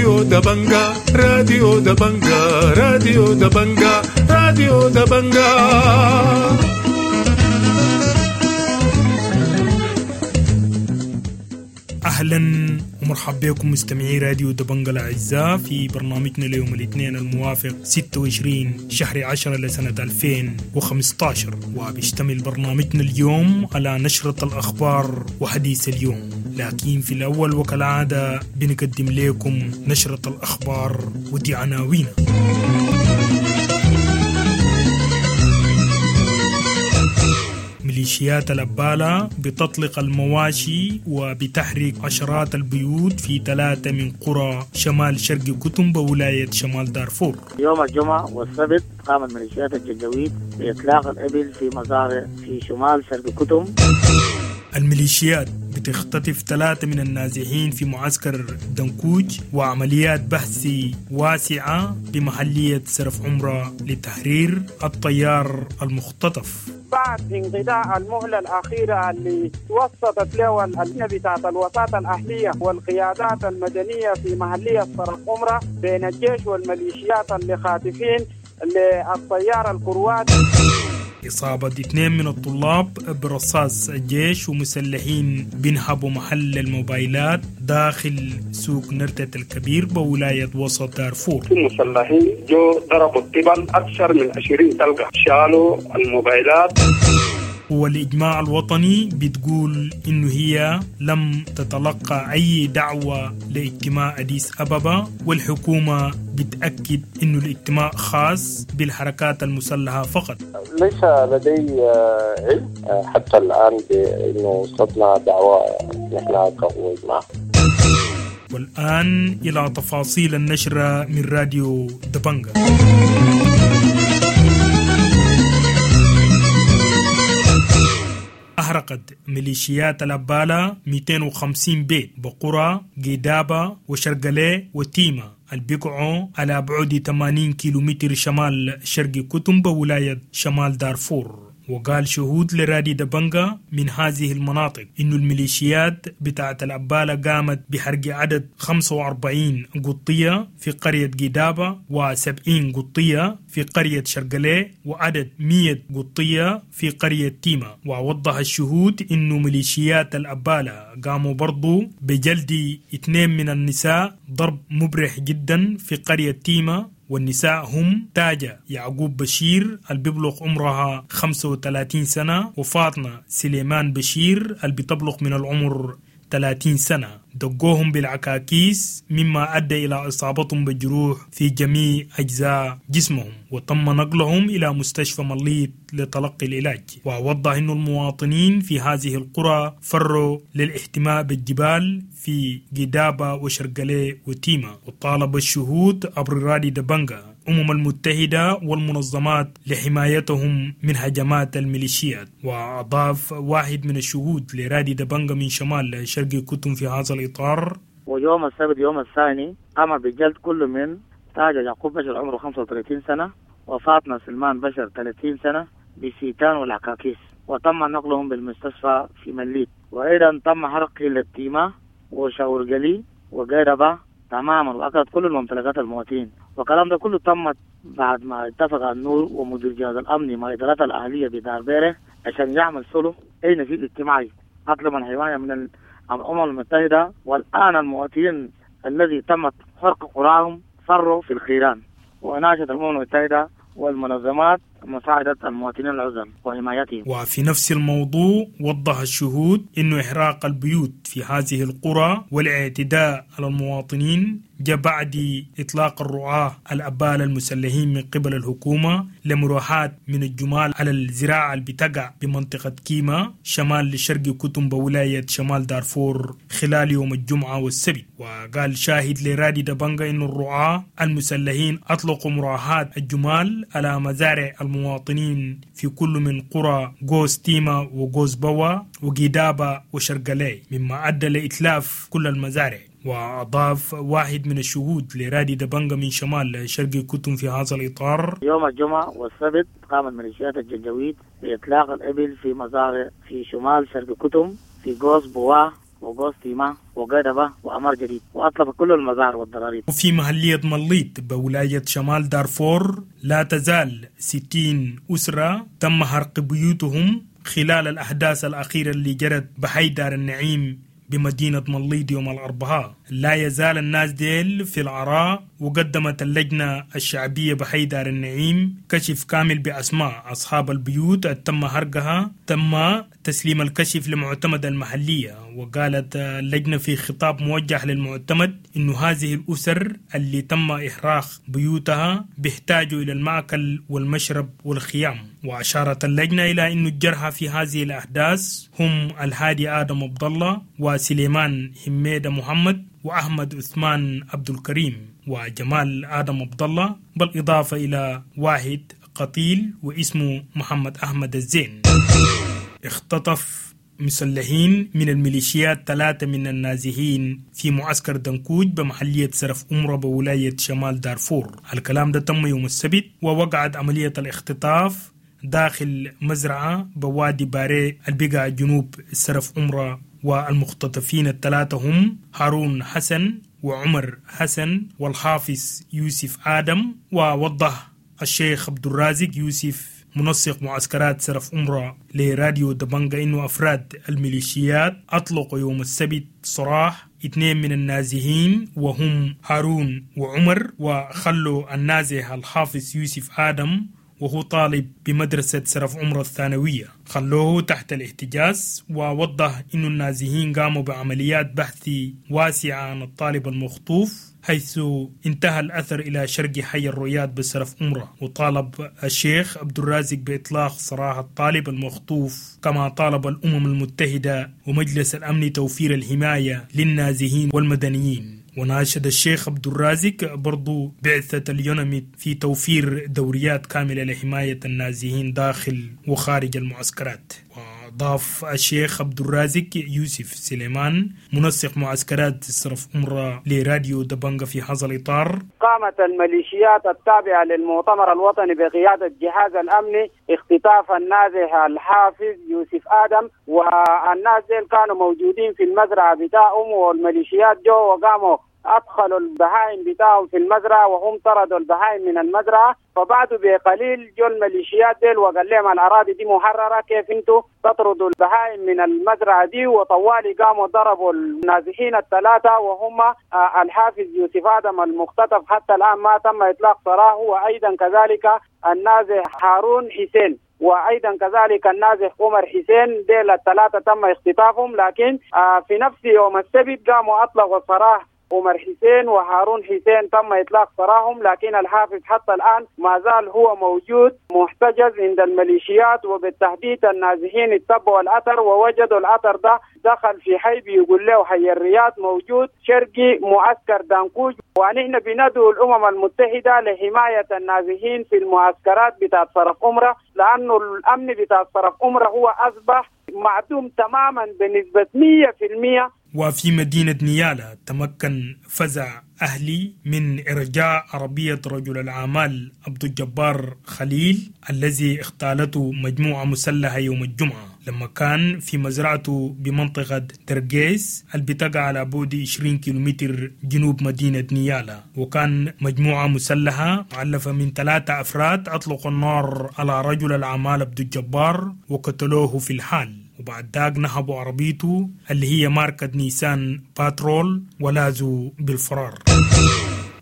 راديو دبنجا، راديو دبنجا، راديو دبنجا، راديو دبنجا. أهلا ومرحبا بكم مستمعي راديو دبنجا الأعزاء في برنامجنا ليوم الاثنين الموافق 26 شهر 10 لسنة 2015، وبيشتمل برنامجنا اليوم على نشرة الأخبار وحديث اليوم. لكن في الأول وكالعادة بنقدم لكم نشرة الأخبار ودي عناوينها. ميليشيات الأبالة بتطلق المواشي وبتحرق عشرات البيوت في 3 من قرى شمال شرق كتم بولاية شمال دارفور. يوم الجمعة والسبت قامت ميليشيات الجنجويد بإطلاق الإبل في مزارع في شمال شرق كتم. الميليشيات بتختطف 3 من النازحين في معسكر دنكوج، وعمليات بحث واسعة بمحلية سرف عمرة لتحرير الطيار المختطف. بعد انقضاء المهلة الأخيرة اللي توسطت له اللجنة بتاعت الوساطة الأهلية والقيادات المدنية في محلية سرف عمرة بين الجيش والميليشيات اللي خاطفين للطيار الكرواتي. إصابة 2 من الطلاب برصاص الجيش ومسلحين بينهبوا محل الموبايلات داخل سوق نرتة الكبير بولاية وسط دارفور. المسلحين جو ضربوا الطبل أكثر من 20 طلقة، شالوا الموبايلات. والإجماع الوطني بتقول إنه هي لم تتلقى أي دعوة لاجتماع أديس أبابا، والحكومة بتأكد إنه الاجتماع خاص بالحركات المسلحة فقط. ليس لدي علم حتى الآن بأنه وصلتنا دعوة نحن كإجماع. والآن إلى تفاصيل النشرة من راديو دبنجا. أحرقت ميليشيات الأبالة 250 بيت بقرى جدابة وشرقلي وتيمة البقعوا على بعد 80 كيلومتر شمال شرق كتم بولاية شمال دارفور. وقال شهود لرادي دبنجا من هذه المناطق إنه الميليشيات بتاعت الأبالة قامت بحرق عدد 45 قطية في قرية جدابة و70 قطية في قرية شرقلي وعدد 100 قطية في قرية تيمة. ووضح الشهود إنه ميليشيات الأبالة قاموا برضو بجلد 2 من النساء ضرب مبرح جدا في قرية تيمة، والنساء هم تاجة يعقوب بشير اللي بيبلغ عمرها 35 سنة وفاطمة سليمان بشير اللي بتبلغ من العمر 30 سنة. دقوهم بالعكاكيس مما أدى إلى إصابتهم بجروح في جميع أجزاء جسمهم، وتم نقلهم إلى مستشفى مليط لتلقي العلاج. ووضح أن المواطنين في هذه القرى فروا للاحتماء بالجبال في جدابة وشرقلي وتيمة. وطالب الشهود عبر رادي دبنجا الأمم المتحدة والمنظمات لحمايتهم من هجمات الميليشيات. وأضاف واحد من الشهود لرادي دبنجا من شمال شرق كتم في هذا الإطار: ويوم السبت يوم الثاني قام بجلد كل من تاج يعقوب بشر عمره 35 سنة وفاطمة سلمان بشر 30 سنة بسيتان والعكاكيس، وتم نقلهم بالمستشفى في مليت. وأيضا تم حرق التيمة وشاورجلي وجربة تماما، وأكلت كل الممتلكات المواطنين. والكلام ده كله تم بعد ما اتفق النور ومدير جهاز الأمن مع إدارات الأهلية بدار بيره عشان يعمل صلح أي نفيد اجتماعي أطلب من حماية من الأمم المتحدة. والآن المواطنين الذي تمت حرق قراهم فروا في الخيران، وناشد الأمم المتحدة والمنظمات مساعدة المواطنين العزل وحمايتهم. وفي نفس الموضوع وضح الشهود أنه إحراق البيوت في هذه القرى والاعتداء على المواطنين جاء بعد إطلاق الرعاة الأبال المسلحين من قبل الحكومة لمروحات من الجمال على الزراعة اللي بتقع بمنطقة كيما شمال لشرق كتم بولاية شمال دارفور خلال يوم الجمعة والسبت. وقال شاهد لرادي دبنجا أن الرعاة المسلحين أطلقوا مراحات الجمال على مزارع المواطنين في كل من قرى غوز تيما وغوز بوا وجدابة وشرقلي، مما أدى لإتلاف كل المزارع. وأضاف واحد من الشهود لرادي دبنجا من شمال شرق كتم في هذا الإطار: يوم الجمعة والسبت قامت ميليشيات الجنجويد بإطلاق الإبل في مزارع في شمال شرق كتم في غوز بوا وقوستيما وقدبة وأمر جديد، وأطلق كل المزار والضراريب. وفي محلية مليط بولاية شمال دارفور لا تزال 60 أسرة تم حرق بيوتهم خلال الأحداث الأخيرة اللي جرت بحي دار النعيم بمدينة مليط يوم الأربعاء. لا يزال الناس ديل في العراء، وقدمت اللجنة الشعبية بحي دار النعيم كشف كامل بأسماء أصحاب البيوت تم حرقها. تم تسليم الكشف لمعتمد المحلية، وقالت اللجنة في خطاب موجه للمعتمد إنه هذه الأسر اللي تم إحراق بيوتها بيحتاجوا إلى المأكل والمشرب والخيام. وأشارت اللجنة إلى أن الجرحى في هذه الأحداث هم الهادي آدم عبد الله وسليمان حميدة محمد وأحمد عثمان عبد الكريم وجمال آدم عبد الله، بالإضافة إلى واحد قتيل واسمه محمد أحمد الزين. اختطف مسلحين من الميليشيات 3 من النازحين في معسكر دنكوج بمحلية سرف أمرة بولاية شمال دارفور. الكلام ده تم يوم السبت، ووقعت عملية الاختطاف داخل مزرعة بوادي باري البقع جنوب سرف أمرة، والمختطفين ال3 هم هارون حسن وعمر حسن والحافظ يوسف آدم. ووضح الشيخ عبد الرازق يوسف منسق معسكرات سرف أمرة لراديو دبنجا إنه أفراد الميليشيات أطلقوا يوم السبت سراح 2 من النازحين وهم هارون وعمر، وخلوا النازح الحافظ يوسف آدم وهو طالب بمدرسة سرف عمرة الثانوية، خلوه تحت الاحتجاز. ووضح إنه النازحين قاموا بعمليات بحث واسعة عن الطالب المخطوف، حيث انتهى الأثر إلى شرق حي الرياض بسرف عمرة. وطالب الشيخ عبد الرازق بإطلاق سراح الطالب المخطوف، كما طالب الأمم المتحدة ومجلس الأمن توفير الحماية للنازحين والمدنيين. وناشد الشيخ عبد الرازق برضو بعثة اليوناميد في توفير دوريات كاملة لحماية النازحين داخل وخارج المعسكرات. وأضاف الشيخ عبد الرازق يوسف سليمان منسق معسكرات صرف أمرة لراديو دبنجا في هذا الإطار: قامت الميليشيات التابعة للمؤتمر الوطني بقيادة جهاز الأمن اختطاف النازح الحافظ يوسف آدم، والناس ديل كانوا موجودين في المزرعة بتاعهم، والميليشيات جو وقاموا أدخلوا البهائم بتاعهم في المزرعة وهم طردوا البهائم من المزرعة. فبعد بقليل جو الميليشيات ديل وقال لهم الأراضي دي محررة، كيف انتوا تطردوا البهائم من المزرعة دي؟ وطوالي قاموا ضربوا النازحين الثلاثة وهم الحافظ يوسف آدم المختطف حتى الآن ما تم إطلاق سراحه، وأيضا كذلك النازح هارون حسين، وأيضا كذلك النازح عمر حسين. ديل الثلاثة تم اختطافهم، لكن في نفس يوم السبت قاموا أطلقوا سراح عمر حسين وهارون حسين، تم إطلاق سراحهم، لكن الحافظ حتى الآن ما زال هو موجود محتجز عند الميليشيات. وبالتحديد النازحين اتبعوا الأثر ووجدوا الأثر ده دخل في حي بيقول له حي الرياض موجود شرقي معسكر دانكوج. ونحن بندعو الأمم المتحدة لحماية النازحين في المعسكرات بتاعت صرف أمرة، لأنه الأمن بتاع صرف أمرة هو أصبح معدوم تماما بنسبة 100%. وفي مدينة نيالا تمكن فزع أهلي من إرجاع عربية رجل الأعمال عبد الجبار خليل الذي اغتالته مجموعة مسلحة يوم الجمعة لما كان في مزرعته بمنطقة درجيس اللي بتقع على بعد 20 كيلومتر جنوب مدينة نيالا. وكان مجموعة مسلحة مؤلفة من 3 أفراد أطلقوا النار على رجل الأعمال عبد الجبار وقتلوه في الحال، وبعد ذاك نهبوا عربيته اللي هي ماركة نيسان باترول ولازوا بالفرار.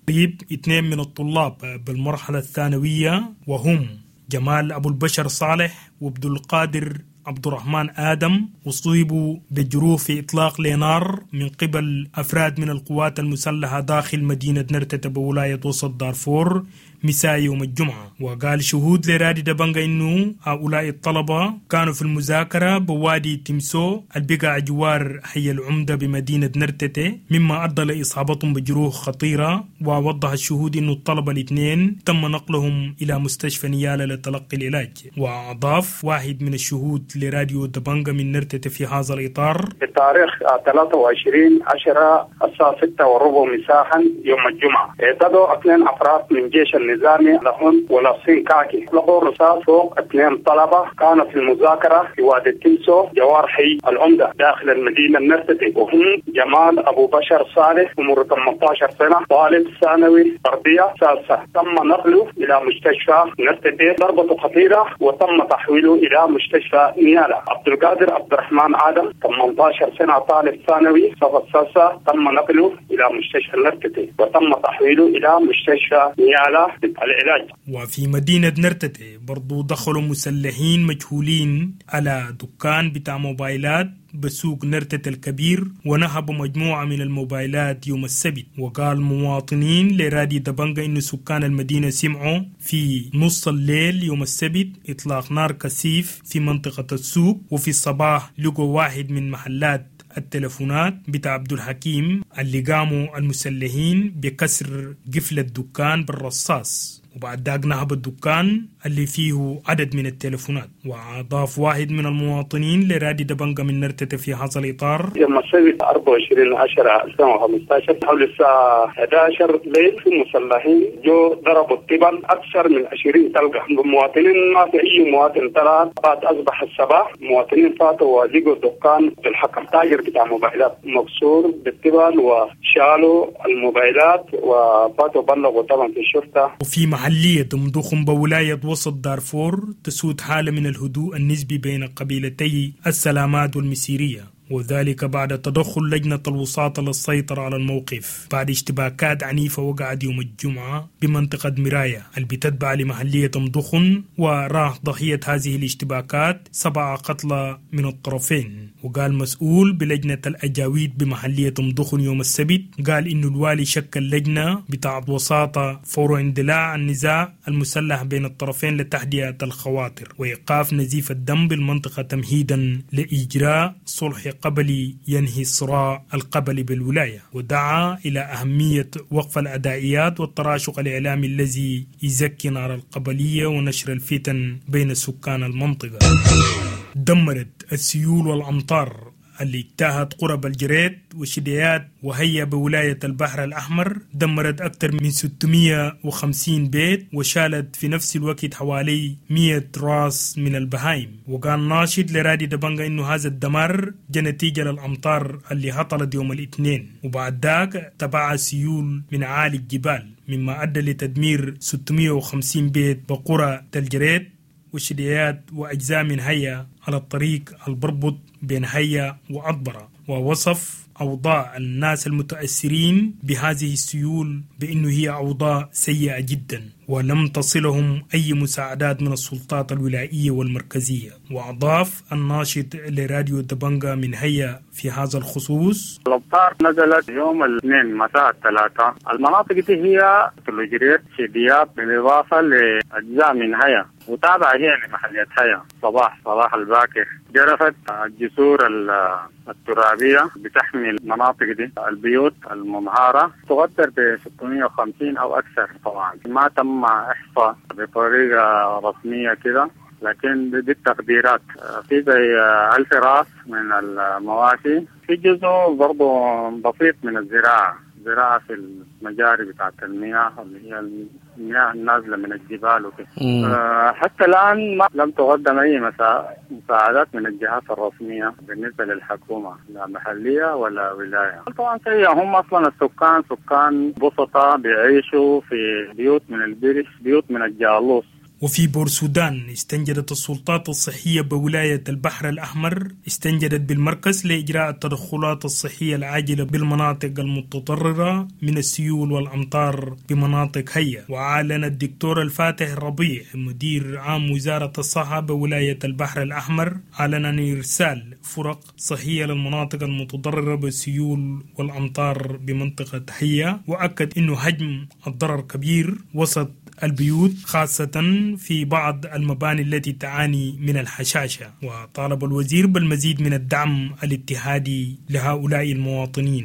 طيب 2 من الطلاب بالمرحلة الثانوية وهم جمال أبو البشر صالح وعبد القادر عبد الرحمن آدم أصيبوا بجروح في إطلاق لنار من قبل أفراد من القوات المسلحة داخل مدينة نرتة بولاية وسط دارفور مساء يوم الجمعة. وقال شهود لرادي دبنجا إنه هؤلاء الطلبة كانوا في المذاكرة بوادي تمسو البقع جوار حي العمدة بمدينة نرتة، مما أدى لإصابتهم بجروح خطيرة. ووضح الشهود إنه الطلبة الاثنين تم نقلهم إلى مستشفى نيالا لتلقي العلاج. وأضاف واحد من الشهود لراديو دبنجا من نرتة في هذا الإطار: بالتاريخ 23/10 الساعة 6:15 مساء يوم الجمعة اعتدوا 2 أفراد من جيش النظامي لهم ولابسين كاكي، لقوا رصاص فوق 2 طلبة كانوا في المذاكرة في وادي التمسو جوار حي العمدة داخل المدينة النرتتي، وهم جمال أبو بشر صالح عمره 18 سنة طالب ثانوي تربية سادسة، تم نقله إلى مستشفى نرتتي، ضربته خطيرة وتم تحويله إلى مستشفى نيالا. عبد القادر عبد الرحمن آدم 18 سنة طالب ثانوي صف السادسة، تم نقله إلى مستشفى نرتتي وتم تحويله إلى مستشفى نيالا للعلاج. وفي مدينة نرتتي برضو دخلوا مسلحين مجهولين على دكان بتاع موبايلات بسوق نرتة الكبير ونهبوا مجموعة من الموبايلات يوم السبت. وقال مواطنين لرادي دبنجا إن سكان المدينة سمعوا في نص الليل يوم السبت إطلاق نار كثيف في منطقة السوق، وفي الصباح لقوا واحد من محلات التلفونات بتاع عبد الحكيم اللي قاموا المسلحين بكسر قفل الدكان بالرصاص، وبعد ذاك نهب الدكان اللي فيه عدد من التلفونات. وأضاف واحد من المواطنين لرادي دبنجا من نرتة في هذا الإطار: يوم السبت 24/10/2015 حول الساعة 11 ليل في مسلحين جو ضربوا الطبل أكثر من 20 طلقة، المواطنين ما في أي مواطن طلع. بعد أصبح الصباح مواطنين فاتوا ولقوا الدكان بالحكم تاجر بتاع موبايلات مكسور بالطبل وشالوا الموبايلات وفاتوا بلغوا طبعا في الشرطة. وفي محلية مدخن بولاية وسط دارفور تسود حالة من الهدوء النسبي بين قبيلتي السلامات والمسيرية، وذلك بعد تدخل لجنة الوساطة للسيطرة على الموقف بعد اشتباكات عنيفة وقعت يوم الجمعة بمنطقة مراية اللي بتتبع لمحلية مدخن، وراح ضحية هذه الاشتباكات 7 قتلى من الطرفين. وقال مسؤول بلجنة الأجاويد بمحلية مدخن يوم السبت، قال إنه الوالي شكل لجنة بتاع وساطة فور اندلاع النزاع المسلح بين الطرفين لتهدئة الخواطر وإيقاف نزيف الدم بالمنطقة تمهيدا لإجراء صلح قبلي ينهي الصراع القبلي بالولاية. ودعا إلى أهمية وقف الأدائيات والتراشق الإعلامي الذي يزكي نار القبلية ونشر الفتن بين سكان المنطقة. دمرت السيول والأمطار اللي اجتاهت قرب الجريت والشديات وهي بولاية البحر الأحمر، دمرت أكثر من 650 بيت وشالت في نفس الوقت حوالي 100 راس من البهايم. وقال ناشد لرادي دبنجا إنه هذا الدمار جاء نتيجة للأمطار اللي هطلت يوم الاثنين، وبعد ذاك تبع سيول من عالي الجبال مما أدى لتدمير 650 بيت بقرى الجريت والشديات وأجزاء من هيا على الطريق البربط بين هيا وأطبرة. ووصف أوضاع الناس المتأثرين بهذه السيول بأنه هي أوضاع سيئة جدا ولم تصلهم أي مساعدات من السلطات الولائية والمركزية. وأضاف الناشط لراديو دبنجا من هيا في هذا الخصوص: الأمطار نزلت يوم الاثنين مساء الثلاثاء، المناطق دي هي تلوجريت شديات بالإضافة لأجزاء من هيا وتابعة هي لمحلية هيا. صباح الباكر جرفت الجسور الترابية بتحمي المناطق دي، البيوت المنهارة تقدر ب 650 أو أكثر. طبعا ما تم إحصاء بطريقة رسمية كده، لكن دي التقديرات. في زي 1000 راس من المواشي، في جزء برضو بسيط من الزراعة، زراعة في المجاري بتاعت المياه اللي هي المياه النازلة من الجبال وكده. حتى الآن ما لم تقدم أي مساعدات من الجهات الرسمية بالنسبة للحكومة، لا محلية ولا ولاية. طبعا سيئة، هم أصلا السكان سكان بسطة بيعيشوا في بيوت من البرش، بيوت من الجالوس. وفي بورسودان استنجدت السلطات الصحية بولاية البحر الأحمر، استنجدت بالمركز لإجراء التدخلات الصحية العاجلة بالمناطق المتضررة من السيول والأمطار بمناطق هيا. وأعلن الدكتور الفاتح الربيع مدير عام وزارة الصحة بولاية البحر الأحمر أعلن عن إرسال فرق صحية للمناطق المتضررة بالسيول والأمطار بمنطقة هيا، وأكد أنه حجم الضرر كبير وسط البيوت خاصة في بعض المباني التي تعاني من الحشاشة. وطالب الوزير بالمزيد من الدعم الاتحادي لهؤلاء المواطنين.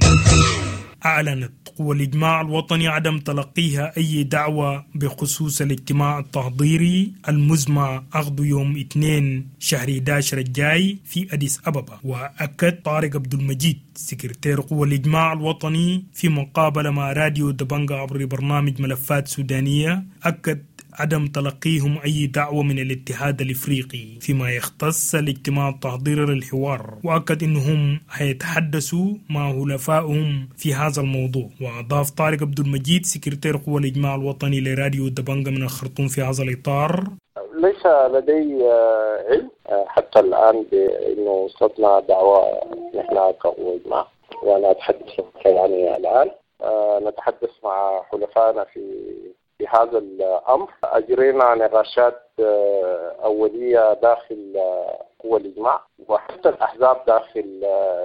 أعلنت قوى الإجماع الوطني عدم تلقيها أي دعوة بخصوص الاجتماع التحضيري المزمع عقده يوم 2 شهر 11 الجاي في أديس أبابا. وأكد طارق عبد المجيد سكرتير قوى الإجماع الوطني في مقابلة مع راديو دبنجا عبر برنامج ملفات سودانية، أكد عدم تلقيهم أي دعوة من الاتحاد الإفريقي فيما يختص الاجتماع التحضيري للحوار، وأكد أنهم هيتحدثوا مع حلفائهم في هذا الموضوع. وأضاف طارق عبد المجيد سكرتير قوى الإجماع الوطني لراديو دبنجا من الخرطوم في هذا الإطار: ليس لدي علم حتى الآن بأنه وصلتنا دعوة نحن كقوى إجماع، وأنا أتحدث يعني الآن نتحدث مع حلفائنا في هذا الأمر. أجرينا نقاشات أولية داخل قوى الإجماع، وحتى الأحزاب داخل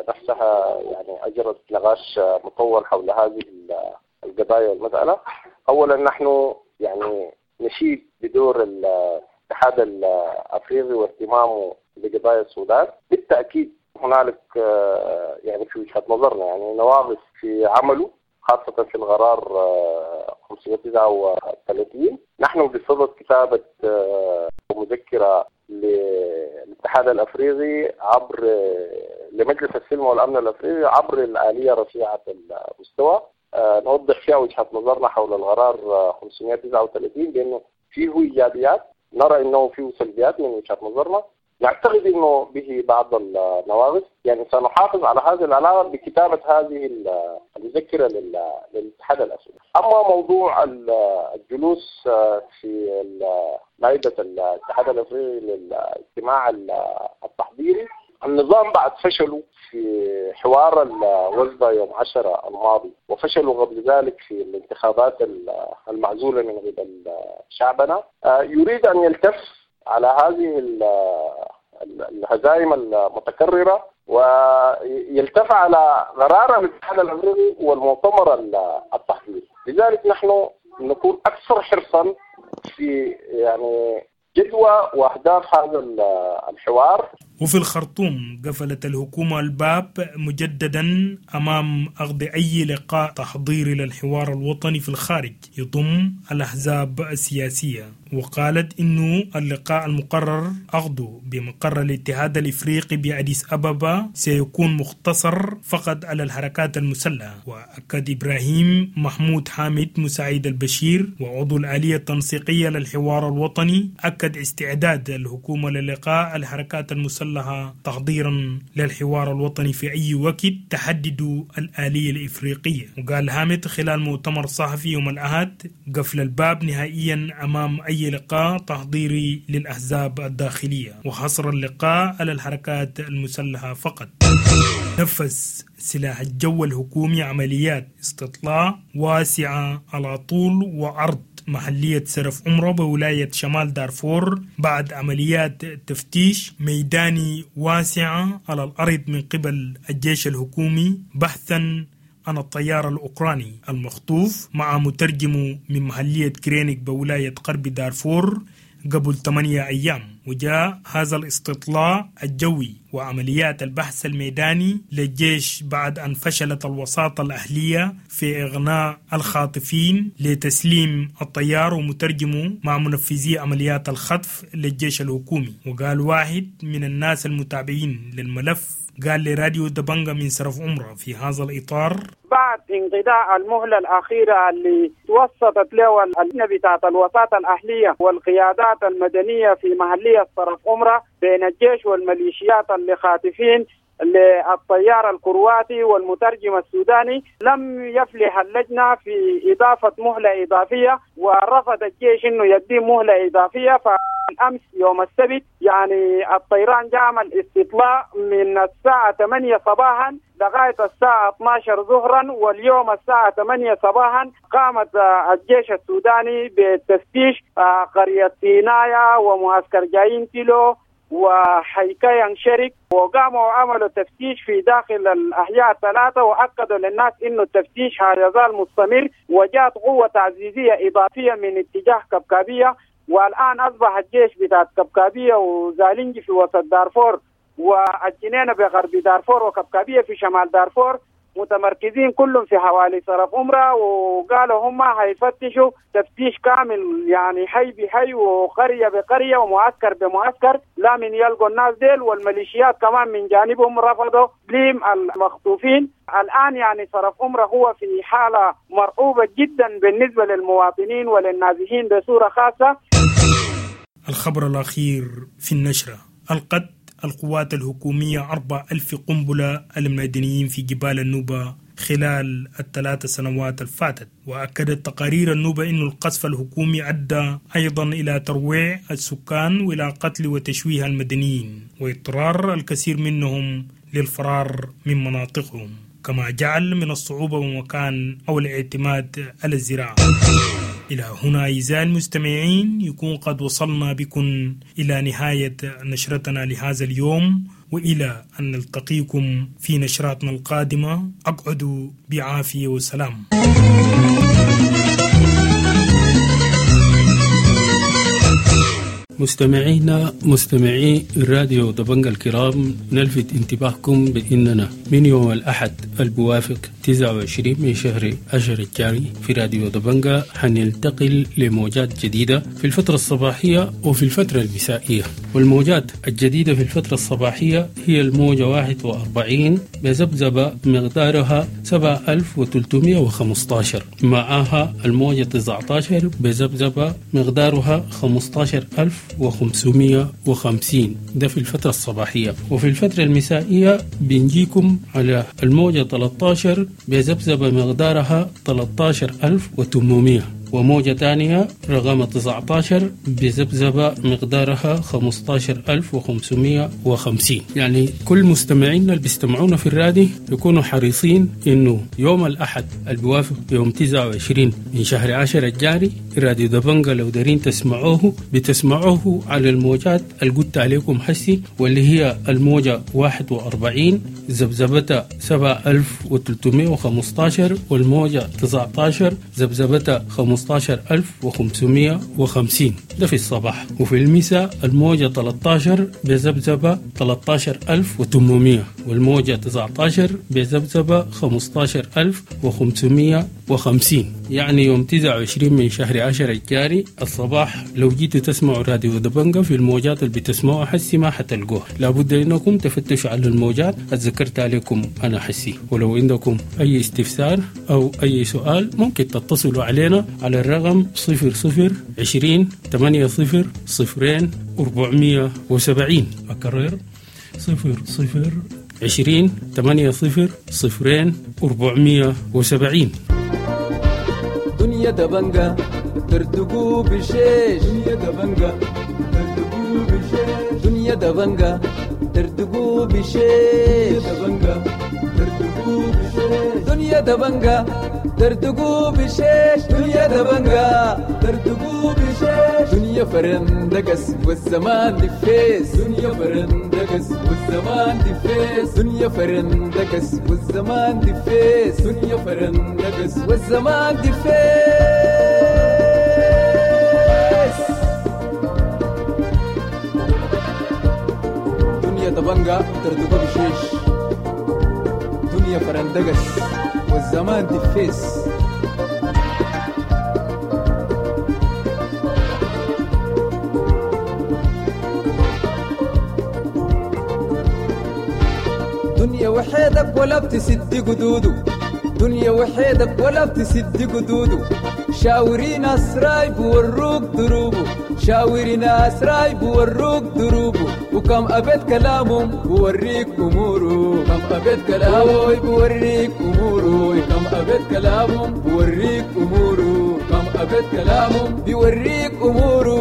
نفسها يعني أجرت نقاش مطول حول هذه القضايا والمسألة. أولا نحن يعني نشيد بدور الاتحاد الأفريقي واهتمامه بقضايا السودان. بالتأكيد هنالك يعني في وجهة نظرنا يعني نواقص في عمله، خاصة في القرار 539. نحن بصدد كتابة مذكرة للاتحاد الأفريقي عبر لمجلس السلم والأمن الأفريقي عبر الآلية رفيعة المستوى، نوضح فيها وجهة نظرنا حول القرار 539 بأنه فيه إيجابيات، نرى أنه فيه سلبيات من وجهة نظرنا، نعتقد أنه به بعض النواقص. يعني سنحافظ على هذه العلاقة بكتابة هذه المذكرة للاتحاد الأفريقي. أما موضوع الجلوس في مائدة الاتحاد الأفريقي للاجتماع التحضيري، النظام بعد فشلوا في حوار الوزبة يوم 10 الماضي، وفشلوا قبل ذلك في الانتخابات المعزولة من قبل شعبنا، يريد أن يلتف على هذه الهزائم المتكررة ويلتف على قرار الاتحاد الأفريقي والمؤتمر التحضيري. لذلك نحن نكون أكثر حرصا في يعني جدوى وأهداف هذا الحوار. وفي الخرطوم قفلت الحكومة الباب مجددا أمام عقد أي لقاء تحضيري للحوار الوطني في الخارج يضم الأحزاب السياسية، وقالت إنه اللقاء المقرر عقده بمقر الاتحاد الإفريقي بأديس أبابا سيكون مختصر فقط على الحركات المسلحة. وأكد إبراهيم محمود حامد مساعد البشير وعضو الآلية التنسيقية للحوار الوطني، أكد استعداد الحكومة للقاء الحركات المسلحة تحضيرا للحوار الوطني في أي وقت تحدد الآلية الإفريقية. وقال حامد خلال مؤتمر صحفي يوم الأحد قفل الباب نهائيا أمام أي لقاء تحضيري للأحزاب الداخلية وحصر اللقاء على الحركات المسلحة فقط. نفذ سلاح الجو الحكومي عمليات استطلاع واسعة على طول وعرض محلية سرف عمرة بولاية شمال دارفور بعد عمليات تفتيش ميداني واسعة على الأرض من قبل الجيش الحكومي بحثا عن الطيار الأوكراني المخطوف مع مترجمه من محلية كرينيك بولاية غرب دارفور قبل 8 أيام. وجاء هذا الاستطلاع الجوي وعمليات البحث الميداني للجيش بعد أن فشلت الوساطة الأهلية في إغناء الخاطفين لتسليم الطيار ومترجمه مع منفذي عمليات الخطف للجيش الحكومي. وقال واحد من الناس المتابعين للملف قال لراديو دبنجا من سرف عمرة في هذا الإطار: بعد انقضاء المهلة الأخيرة اللي توسطت له اللجنة بتاعت الوساطة الأهلية والقيادات المدنية في محلية صرف عمرة بين الجيش والميليشيات اللي خاطفين للطيار الكرواتي والمترجم السوداني، لم يفلح اللجنة في إضافة مهلة إضافية، ورفض الجيش إنه يدي مهلة إضافية. فالأمس يوم السبت يعني الطيران جعمل استطلاع من الساعة 8 صباحا لغاية الساعة 12 ظهرا، واليوم الساعة 8 صباحا قامت الجيش السوداني بتفتيش قرية سينايا ومعسكر جايين كيلو وحيكايا شرك، وقاموا وعملوا تفتيش في داخل الأحياء الثلاثة، وأكدوا للناس إنه التفتيش هيظل مستمر. وجاءت قوة تعزيزية إضافية من اتجاه كبكابية، والآن أصبح الجيش بتاع كبكابية وزالنجي في وسط دارفور والجنينة بغرب دارفور وكبكابية في شمال دارفور متمركزين كلهم في حوالي صرف أمرة، وقالوا هم هيفتشوا تفتيش كامل، يعني حي بحي وقرية بقرية ومعسكر بمعسكر، لا من يلقوا الناس ديل. والميليشيات كمان من جانبهم رفضوا تسليم المخطوفين. الآن يعني صرف أمرة هو في حالة مرعوبة جدا بالنسبة للمواطنين وللنازحين بصورة خاصة. الخبر الأخير في النشرة: ألقت القوات الحكومية 4000 قنبلة المدنيين في جبال النوبة خلال ال3 سنوات الفاتت. وأكدت تقارير النوبة أن القصف الحكومي أدى أيضا إلى ترويع السكان وإلى قتل وتشويه المدنيين واضطرار الكثير منهم للفرار من مناطقهم، كما جعل من الصعوبة ومكان أو الاعتماد على الزراعة. إلى هنا أعزائي المستمعين يكون قد وصلنا بكم إلى نهاية نشرتنا لهذا اليوم، وإلى أن نلتقيكم في نشراتنا القادمة أقعدوا بعافية وسلام. مستمعينا مستمعي الراديو دبنجا الكرام، نلفت انتباهكم بأننا من يوم الأحد البوافق 29 من شهر 10 الجاري في راديو دبنجا حننتقل لموجات جديدة في الفترة الصباحية وفي الفترة المسائية. والموجات الجديدة في الفترة الصباحية هي الموجة 41 بذبذبة مقدارها 7315، معها الموجة 19 بذبذبة مقدارها 15550، ده في الفترة الصباحية. وفي الفترة المسائية بنجيكم على الموجة 13 بذبذبة مقدارها 13800، وموجة تانية رقم 19 بذبذبة مقدارها 15550. يعني كل مستمعينا اللي بيستمعونا في الرادي يكونوا حريصين إنه يوم الأحد البوافق يوم 29 من شهر 10 الجاري راديو دبنجا لو دارين تسمعوه بتسمعوه على الموجات اللي قلت عليكم حسي، واللي هي الموجة 41 ذبذبتها 7315، والموجة 19 ذبذبتها 15550، ده في الصباح. وفي المساء الموجة 13 بذبذبة 13800، والموجة 19 بذبذبة 15550. يعني يوم 29 من شهر 10 الجاري الصباح لو جيتوا تسمعوا راديو دبنجا في الموجات اللي بتسمعوها حسي ما حتلقوها، لابد انكم تفتشوا على الموجات اتذكرت عليكم انا حسي. ولو عندكم اي استفسار او اي سؤال ممكن تتصلوا علينا على الرقم 00 20 80 0 470. أكرر 00 20 80 0 470. دنيا دبنجا ترتقو بشيش، دنيا دبنجا ترتقو بشيش، دنيا دبنجا ترتقو بشيش، دبنجا ترتقو بشيش، دنيا دبنجا ترتقو بشيش، دنيا دبنجا ترتقو بشيش، دنيا فرندقس والزمان دفيس، دنيا فرندقس والزمان دفيس، دنيا فرندقس والزمان دفيس، دنيا فرندقس والزمان دفيس. دنيا دبنجا ترتقو بشيش، دنيا فرندقس والزمان دفيس. دنيا وحيدك ولا بتسد قدوده، دنيا وحيدك ولا بتسد قدوده، شاوري ناس رايب وروك دروبه، شاوري ناس رايب وروك دروبه، وكم أبد كلامهم بوريك أموره، كم أبد كلامه بوريك أموره، كم أبد كلامهم بوريك أموره، كم أبد كلامهم بيوريك أموره.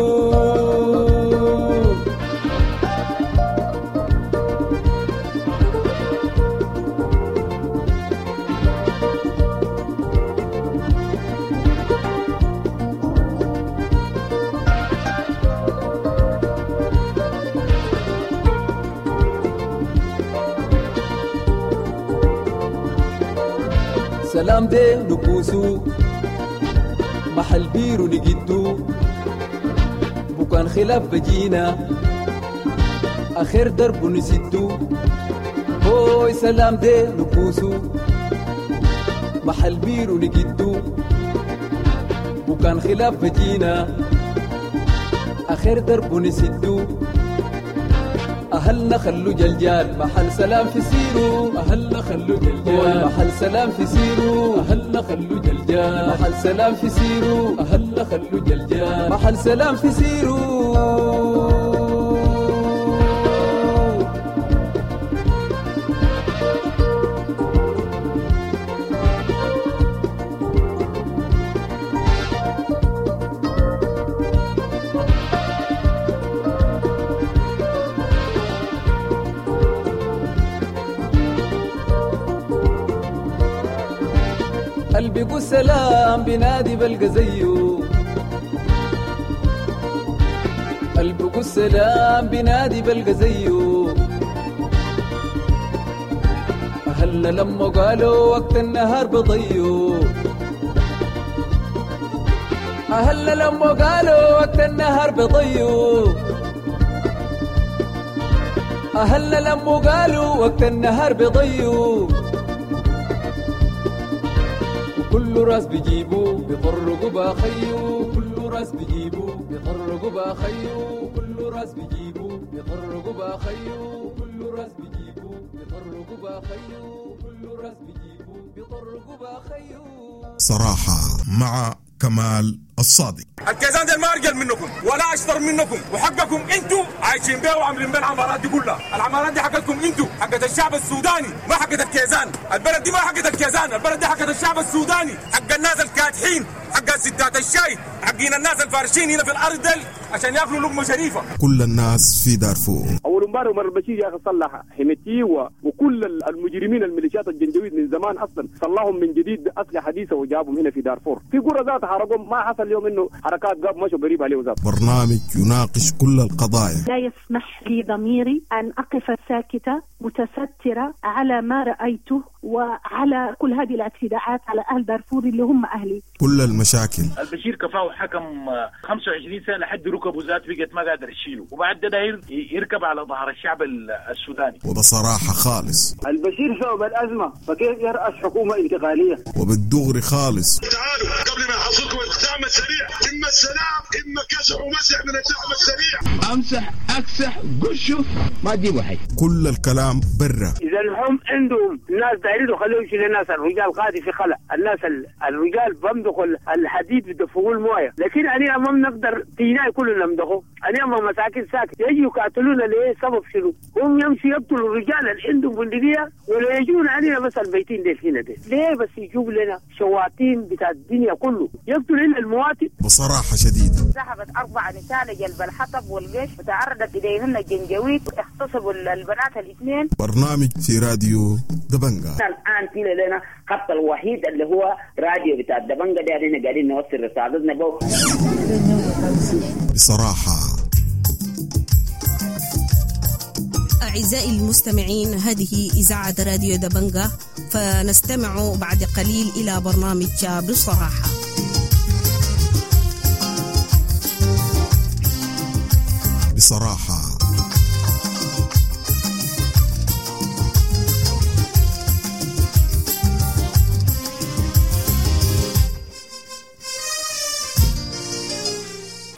سلام دي نكوسو محل بيرو نجدو، بكان خلاف بجينا آخر درب نسدو، هوي سلام دي نكوسو محل بيرو نجدو، وكان خلاف بجينا آخر درب نسدو. أهلنا خلو جلجال محل سلام في سيرو، أهلنا خلو جلجال محل سلام في سيرو، أهلنا خلو جلجال محل سلام في سيرو، أهلنا خلو جلجال محل سلام في سيرو. قلبي سلام بنادي بلقى زيه، قلبي السلام بنادي بلقى زيه. أهلنا لما قالوا وقت النهار بضيو، أهلنا لما قالوا وقت النهار بضيو، أهلنا لما قالوا وقت النهار بضيو. كل راس بيجيبو بيطرقوا باخيو، كل راس بيجيبو بيطرقوا باخيو، كل راس بيجيبو بيطرقوا باخيو، كل راس بيجيبو بيطرقوا باخيو، كل راس بيجيبو بيطرقوا باخيو. صراحة مع كمال الصادق. الكيزان ديل ما ارجل منكم ولا اشطر منكم، وحقكم انتم عايشين بيه وعاملين بيه العمارات دي كلها. العمارات دي حقتكم انتم، حقت الشعب السوداني، ما حقت الكيزان. البلد دي ما حقت الكيزان، البلد دي حقت الشعب السوداني، حق الناس الكادحين، حق ستات الشاي، حقين الناس الفارشين هنا في الارض ديل عشان ياكلوا لقمه شريفه. كل الناس في دارفور. اول امبارح عمر البشير يا اخي صلح حميتي وكل المجرمين الميليشيات الجنجويد من زمان اصلا صلحهم من جديد باسلحه حديثه وجابهم هنا في دارفور. في قرى ذات حرقهم، ما حصل اليوم انه حركات قاب مشوا قريب عليه ذات. برنامج يناقش كل القضايا. لا يسمح لي ضميري ان اقف ساكته متستره على ما رايته وعلى كل هذه الاعتداءات على اهل دارفور اللي هم اهلي. كل المشاكل. البشير كفاه حكم 25 سنه لحد ركبه ذات بقت ما قادر يشيله، وبعد ده داير يركب على ظهر الشعب السوداني. وبصراحه خالص البشير سبب الازمه، فكيف يرأس حكومه انتقاليه؟ وبالدغري خالص. تعالوا قبل ما يحصلكم الدعم السريع، اما السلام اما كسح ومسح من الدعم السريع. امسح اكسح قشه ما تجيبوا حي. كل الكلام برا. اذا هم عندهم ناس دايرين خلوهم يشيلوا الناس، الرجال قاعد في خلا، الناس الرجال بمدخوا الحديد بدفقوا المويه، لكن انا ما بنقدر تينا كلنا نمدخه، انا ما مساكن ساكت يجوا يقاتلونا ليه؟ سبب شنو؟ هم يمشوا يقتلوا الرجال اللي عندهم بندقيه ولا يجون علينا بس البيتين ديل هنا ديل، ليه بس يجيبوا لنا شواطين بتاع الدنيا كله يقتلوا لنا المواطن؟ بصراحه شديده. ذهبت 4 نساء لجلب الحطب والجيش وتعرضت اليهن الجنجويد، اغتصبوا البنات الاثنين. برنامج في راديو دبنجا. الان في لنا خط الوحيد اللي هو راديو بتاع دبنجا ده، احنا قاعدين نوصل رسالتنا به بصراحه. أعزائي المستمعين، هذه إذاعة راديو دبنجا، فنستمع بعد قليل إلى برنامج بصراحة. بصراحة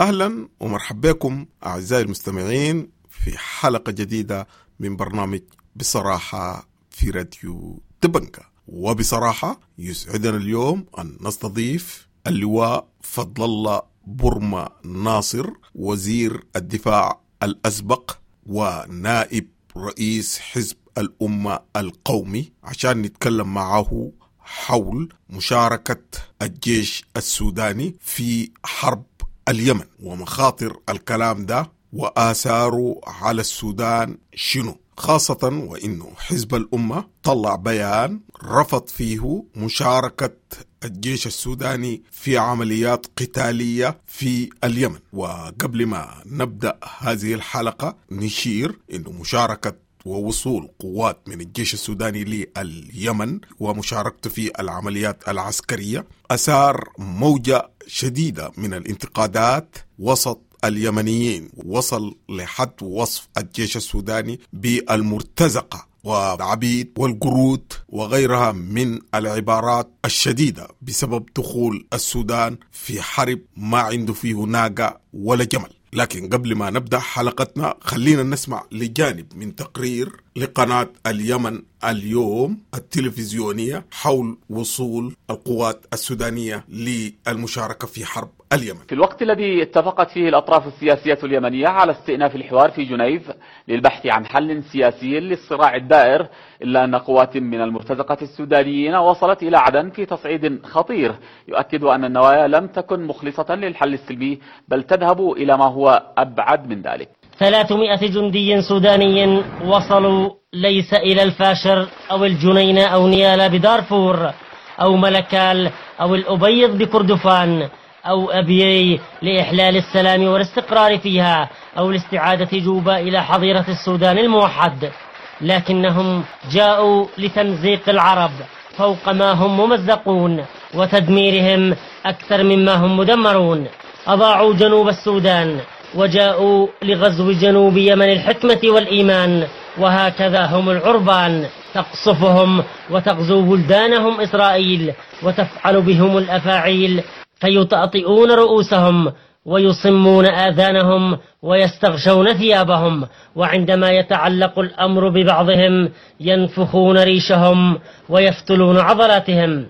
أهلا ومرحبا بكم أعزائي المستمعين في حلقة جديدة من برنامج بصراحة في راديو دبنجا. وبصراحة يسعدنا اليوم أن نستضيف اللواء فضل الله برما ناصر، وزير الدفاع الأسبق ونائب رئيس حزب الأمة القومي، عشان نتكلم معه حول مشاركة الجيش السوداني في حرب اليمن ومخاطر الكلام ده وآثاره على السودان شنو، خاصة وإنه حزب الأمة طلع بيان رفض فيه مشاركة الجيش السوداني في عمليات قتالية في اليمن. وقبل ما نبدأ هذه الحلقة نشير إنه مشاركة ووصول قوات من الجيش السوداني لليمن ومشاركته في العمليات العسكرية أثار موجة شديدة من الانتقادات وسط اليمنيين، وصل لحد وصف الجيش السوداني بالمرتزقة. وعبيد والقرود وغيرها من العبارات الشديدة بسبب دخول السودان في حرب ما عنده فيه ناقة ولا جمل. لكن قبل ما نبدأ حلقتنا خلينا نسمع لجانب من تقرير لقناة اليمن اليوم التلفزيونية حول وصول القوات السودانية للمشاركة في حرب اليمن. في الوقت الذي اتفقت فيه الأطراف السياسية اليمنية على استئناف الحوار في جنيف للبحث عن حل سياسي للصراع الدائر، إلا أن قوات من المرتزقة السودانيين وصلت إلى عدن في تصعيد خطير يؤكد أن النوايا لم تكن مخلصة للحل السلمي، بل تذهب إلى ما هو أبعد من ذلك. 300 جندي سوداني وصلوا ليس إلى الفاشر أو الجنينة أو نيالا بدارفور أو ملكال أو الأبيض بكردفان أو أبيي لإحلال السلام والاستقرار فيها أو لاستعادة جوبا إلى حظيرة السودان الموحد، لكنهم جاءوا لتمزيق العرب فوق ما هم ممزقون وتدميرهم أكثر مما هم مدمرون. أضاعوا جنوب السودان وجاءوا لغزو جنوب يمن الحكمة والإيمان، وهكذا هم العربان تقصفهم وتغزو بلدانهم إسرائيل وتفعل بهم الأفاعيل، فيطأطئون رؤوسهم ويصمون آذانهم ويستغشون ثيابهم، وعندما يتعلق الأمر ببعضهم ينفخون ريشهم ويفتلون عضلاتهم.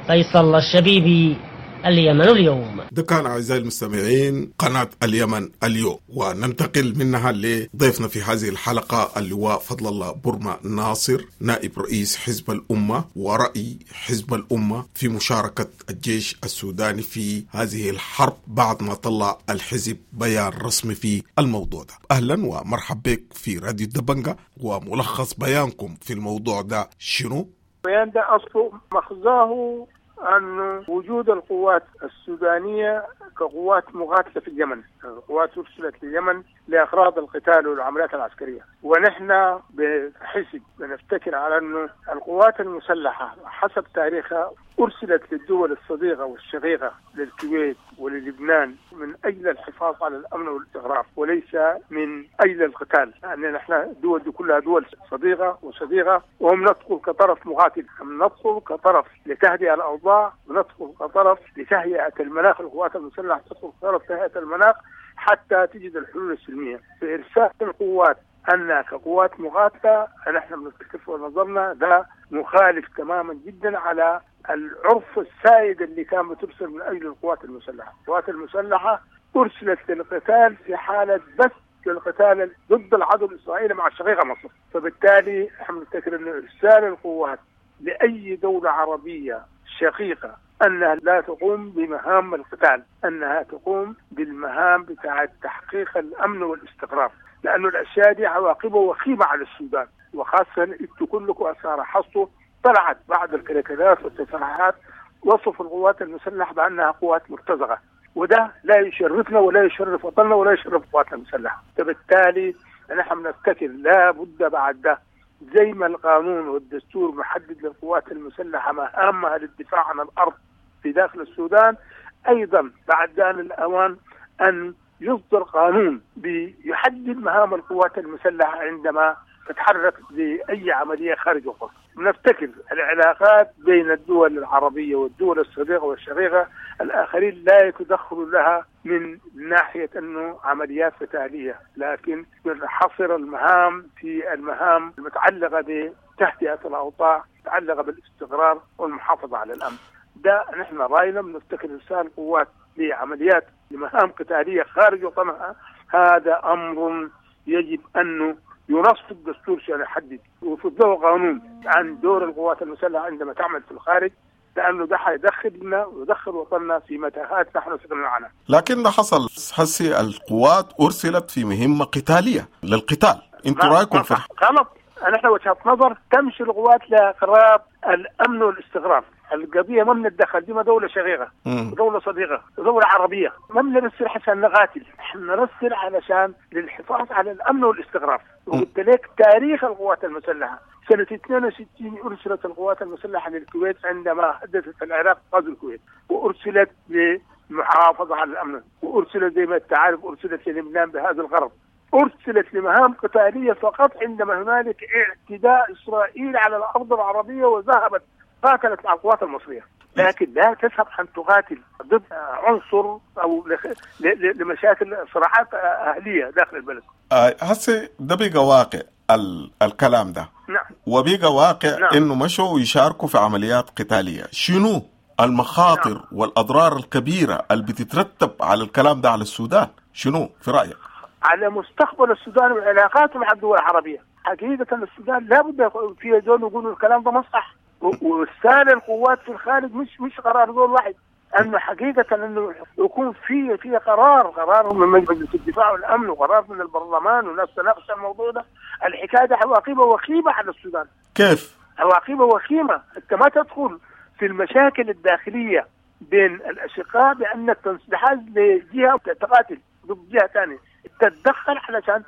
فيصل الشبيبي، اليمن اليوم. ده كان أعزائي المستمعين قناة اليمن اليوم، وننتقل منها لضيفنا في هذه الحلقة اللواء فضل الله برما ناصر، نائب رئيس حزب الأمة، ورأي حزب الأمة في مشاركة الجيش السوداني في هذه الحرب بعد ما طلع الحزب بيان رسمي في الموضوع ده. أهلا ومرحبا بك في راديو دبنجة، وملخص بيانكم في الموضوع ده شنو؟ البيان ده أصله مخزاه أن وجود القوات السودانية كقوات مقاتلة في اليمن، القوات أرسلت لليمن لأغراض القتال والعمليات العسكرية، ونحن بحسب بنفتكر على أنه القوات المسلحة حسب تاريخها أرسلت للدول الصديقة والشقيقة للكويت وللبنان من أجل الحفاظ على الأمن والاستقرار وليس من أجل القتال، لأن نحن الدول دي كلها دول صديقة وصديقة، وهم ندخل كطرف مقاتل، هم ندخل كطرف لتهدئة الأوضاع، وندخل كطرف لتهيئة المناخ، القوات المسلحة تدخل كطرف تهيئة المناخ حتى تجد الحلول السلمية. فإرسال القوات أن كقوات مقاتلة نحن بنفتكر في نظرنا ده مخالف تماما جدا على العرف السائد اللي كان بترسل من أجل القوات المسلحة. القوات المسلحة أرسلت للقتال في حالة بس للقتال ضد العدو الإسرائيلي مع الشقيقة مصر، فبالتالي نحن بنفتكر أن إرسال القوات لأي دولة عربية شقيقة أنها لا تقوم بمهام القتال، أنها تقوم بالمهام بتاعة تحقيق الأمن والاستقرار، لأنه الأشياء دي عواقبها وخيمة على السودان، وخاصة أنتوا كلكم أثار حصته طلعت بعض الكاريكاتيرات والتصريحات وصف القوات المسلحة بأنها قوات مرتزقة، وده لا يشرفنا ولا يشرف وطننا ولا يشرف قواتنا المسلحة. فبالتالي نحن نفتكر لا بد بعد ده زي ما القانون والدستور محدد للقوات المسلحة مهامها للدفاع عن الأرض في داخل السودان، أيضا بعد آن الأوان أن يصدر قانون بيحدد مهام القوات المسلحة عندما تتحرك لأي عملية خارج القرى. نفتكر العلاقات بين الدول العربية والدول الصديقة والشقيقة الآخرين لا يتدخل لها من ناحية أنه عمليات قتالية، لكن حصر المهام في المهام المتعلقة بتهدئة الأوضاع، المتعلقة بالاستقرار والمحافظة على الأمن. ده نحن رأينا بنفتكر إرسال قوات لعمليات لمهام قتالية خارج وطنها هذا أمر يجب أنه ينص في الدستور عشان يحدد ويفرض قانون عن دور القوات المسلحة عندما تعمل في الخارج، لأنه ده حيدخلنا ويدخل وطننا في متاهات نحن سكننا عنها. لكن ده حصل حسي القوات أرسلت في مهمة قتالية للقتال، انتوا رأيكم في غلط. نحن وجهة نظر تمشي القوات لإقرار الأمن والاستقرار. القضية ما بنتدخل، دي ما دولة شقيقة، دولة صديقة، دولة عربية، ما بنرسل عشان نقاتل، احنا نرسل علشان للحفاظ على الأمن والاستقرار. وقلت لك تاريخ القوات المسلحة سنة 62 أرسلت القوات المسلحة للكويت عندما حدثت العراق غزو الكويت، وأرسلت للمحافظة على الأمن، وأرسلت زي ما انت عارف أرسلت للبنان بهذا الغرض. ارسلت لمهام قتالية فقط عندما هنالك اعتداء اسرائيل على الارض العربية وذهبت قاتلت مع القوات المصرية، لكن لا تذهب ان تقاتل ضد عنصر او لمشاكل صراعات اهليه داخل البلد. هسه ده بقى واقع الكلام ده. نعم. وبقى واقع. نعم. انه مشوا يشاركوا في عمليات قتالية، شنو المخاطر؟ نعم. والاضرار الكبيرة اللي بتترتب على الكلام ده على السودان، شنو في رايك؟ على مستقبل السودان وعلاقاته مع الدول العربية، حقيقة السودان لابد في زول يقولوا الكلام ده ما صح، وارسال القوات في الخارج مش قرار زول واحد، انه حقيقة انه يكون في قرار من مجلس الدفاع والامن وقرار من البرلمان وناس تناقش الموضوع ده. الحكاية دي عواقبها وخيمة على السودان. كيف؟ عواقبها وخيمة، انت ما تدخل في المشاكل الداخلية بين الاشقاء بانك تنحاز لجهة تقاتل ضد جهة ثانية، تتدخل علشان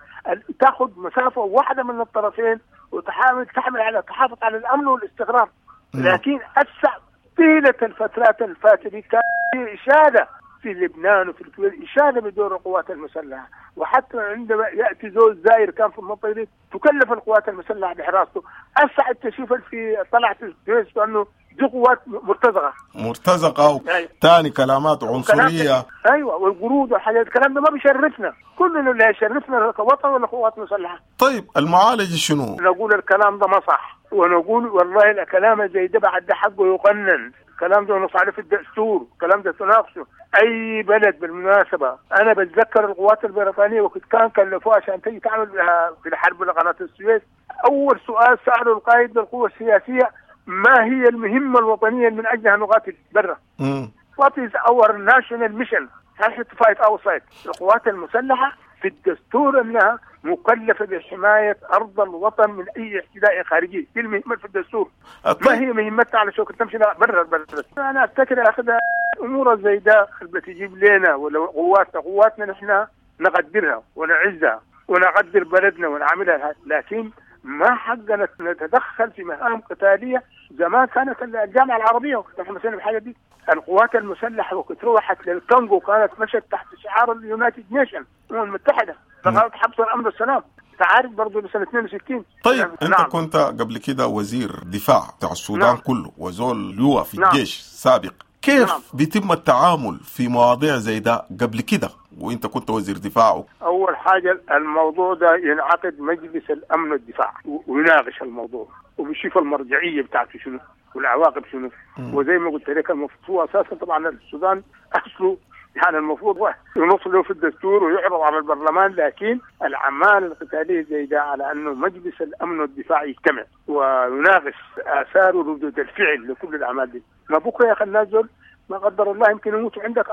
تاخذ مسافة واحدة من الطرفين وتحاول تحمل على تحافظ على الامن والاستقرار. لكن هسه طيلة الفترات الفاتت كان في اشاده في لبنان وفي الكويت، اشاده بدور القوات المسلحة، وحتى عندما ياتي زول زاير كان في المنطقة دي تكلف القوات المسلحة بحراسته. هسه تشوف في طلعت الفيس انه دي قوات مرتزقة مرتزقة وثاني كلامات عنصرية. ايوه، والقرود والحاجات، الكلام ده ما بيشرفنا، كلنا لا يشرفنا كوطن ولا قوات مسلحة. طيب المعالجة شنو؟ نقول الكلام ده ما صح، ونقول والله الكلام زي ده بعد ده حقه يقنن، الكلام ده نص عليه في الدستور، الكلام ده تناقشه اي بلد. بالمناسبة انا بتذكر القوات البريطانية وقت كان كلفوها عشان تيجي تعمل في الحرب لقناه السويس، اول سؤال ساله القائد للقوة السياسية: ما هي المهمة الوطنية من اجلها نقاتل برا؟ What is our national mission؟ هل to fight outside؟ القوات المسلحة في الدستور انها مكلفة بحمايه ارض الوطن من اي اعتداء خارجي، دي المهمة في الدستور. ما هي مهمتها على شو تمشي برا البلد؟ انا افتكر اخذ امور زي ده بتجيب لنا ولا قواتنا نحن نقدرها ونعزها ونقدر بلدنا ونعملها، لكن ما حقنا نتدخل في مهام قتالية. زمان كانت الجامعة العربية وكنت احنا مسؤولين بالحاجة دي، القوات المسلحة وكنت روحت للكونغو كانت مشت تحت شعار ال United Nation، الامم المتحدة، لغاية حفظ الامن والسلام. انت عارف برضه بسنة 62. طيب انت. نعم. كنت قبل كده وزير دفاع بتاع السودان. نعم. كله وزول لواء في نعم. الجيش سابق، كيف نعم. بيتم التعامل في مواضيع زي ده قبل كده وانت كنت وزير دفاع؟ اول حاجة الموضوع ده ينعقد مجلس الامن والدفاع ويناقش الموضوع وبيشوف المرجعية بتاعته شنو والعواقب شنو. وزي ما قلت لك المفروض اساسا طبعا السودان اصله يعني المفروض ينص له في الدستور ويعرض على البرلمان، لكن الاعمال القتالية زي ده على انه مجلس الامن والدفاع يجتمع ويناقش اثار وردود الفعل لكل الاعمال دي. ما بكره يا اخي الناس دول ما قدر الله يمكن يموتوا عندك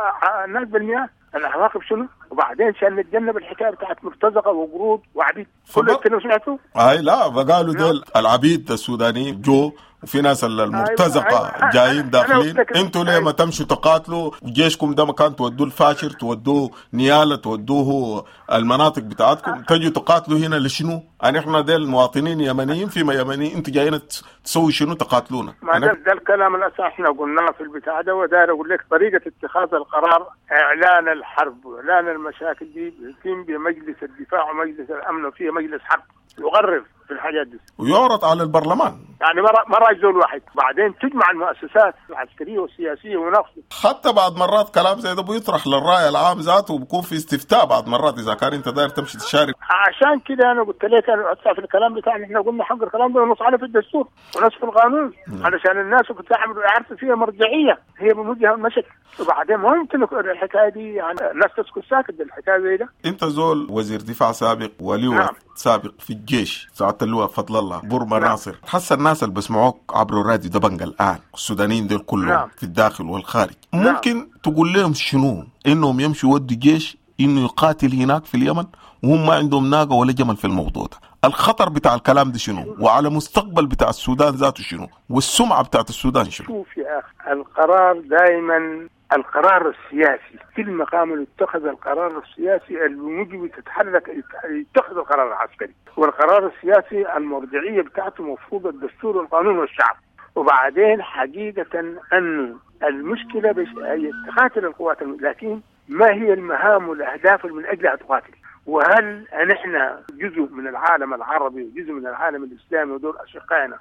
الناس بالمئات، العواقب شنو؟ وبعدين عشان نتجنب الحكاية بتاعت مرتزقة وقرود وعبيد، كل الكلام سمعته؟ اي لا، فقالوا دول العبيد السودانيين جو وفي ناس المرتزقة. أيوة. جايين داخلين، انتوا ليه أيوة. ما تمشوا تقاتلوا جيشكم ده مكان تودوه الفاشر، تودوه نياله، تودوه المناطق بتاعتكم، تجوا تقاتلوا هنا لشنو؟ يعني احنا ديل مواطنين يمنيين فيما يمنيين، انتوا جايين تسوي شنو تقاتلونا؟ ما ده الكلام الاساسي احنا قلناه في البتاع ده. وداير اقول لك طريقه اتخاذ القرار، اعلان الحرب واعلان المشاكل دي بيتم بمجلس الدفاع ومجلس الامن، وفيه مجلس حرب يقرر في الحاجات دي ويعرض على البرلمان. يعني ما راي زول واحد، بعدين تجمع المؤسسات العسكرية والسياسية ويناقشوا. حتى بعد مرات كلام زي ده بيطرح للراي العام ذاته وبيكون في استفتاء بعد مرات اذا كان انت داير تمشي تشارك. عشان كده انا قلت لك انا في الكلام بتاعنا احنا قلنا حق الكلام ده ونص عليه في الدستور ونص في القانون. علشان الناس كنت عارفه فيها مرجعية هي بموجها المشك. وبعدين ما يمكن الحكاية دي يعني الناس تسكت ساكت بالحكاية زي ده. انت زول وزير دفاع سابق ولواء. نعم. سابق في الجيش، سعادة اللواء فضل الله برما. نعم. ناصر، حس الناس اللي بسمعوك عبر الراديو دبنجة الآن، السودانيين دول كلهم. نعم. في الداخل والخارج. نعم. ممكن تقول لهم شنو؟ انهم يمشوا يودوا جيش انه يقاتل هناك في اليمن وهم ما عندهم ناقة ولا جمل في الموضوع ده؟ الخطر بتاع الكلام ده شنو؟ وعلى مستقبل بتاع السودان ذاته شنو؟ والسمعة بتاعت السودان شنو؟ شوف يا أخي، القرار دائما القرار السياسي في المقام اللي اتخذ القرار السياسي الموجب تتحرك يتخذ القرار العسكري، والقرار السياسي المرجعية بتاعته مفروض الدستور والقانون والشعب. وبعدين حقيقة أنه المشكلة هي تقاتل القوات، لكن ما هي المهام والأهداف اللي من أجلها تقاتل؟ وهل نحن جزء من العالم العربي وجزء من العالم الإسلامي ودول أشقائنا؟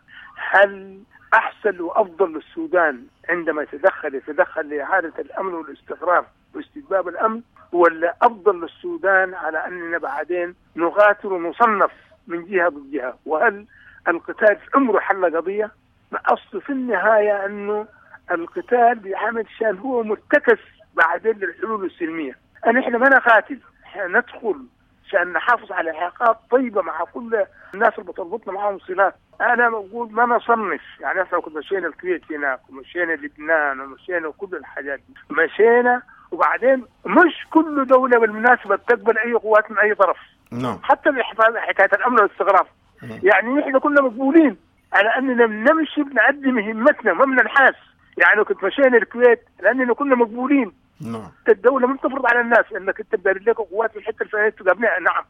هل أحسن وأفضل للسودان عندما يتدخل لإعادة الأمن والاستقرار واستتباب الأمن، ولا أفضل للسودان على أننا بعدين نقاتل ونصنف من جهة ضد جهة؟ وهل القتال في عمره حل قضية؟ ما أصل في النهاية أنه القتال بيعمل شان هو مرتكز بعدين للحلول السلمية. أن إحنا ما نقاتل، إحنا ندخل عشان نحافظ على علاقات طيبة مع كل الناس اللي بتربطنا معاهم صلات. أنا بقول ما نصنف، يعني إحنا كنا مشينا الكويت هناك ومشينا لبنان ومشينا كل الحاجات دي مشينا، وبعدين مش كل دولة بالمناسبة بتقبل أي قوات من أي طرف. نعم. حتى حكاية الأمن والاستقرار، يعني نحن كنا مقبولين على أننا بنمشي بنأدي مهمتنا ما بننحاس. يعني كنت مشينا الكويت لأننا كنا مقبولين. نعم. الدولة ما بتفرض على الناس انك انت تدير لك قوات في الحتة الفلانية تقابلها. نعم،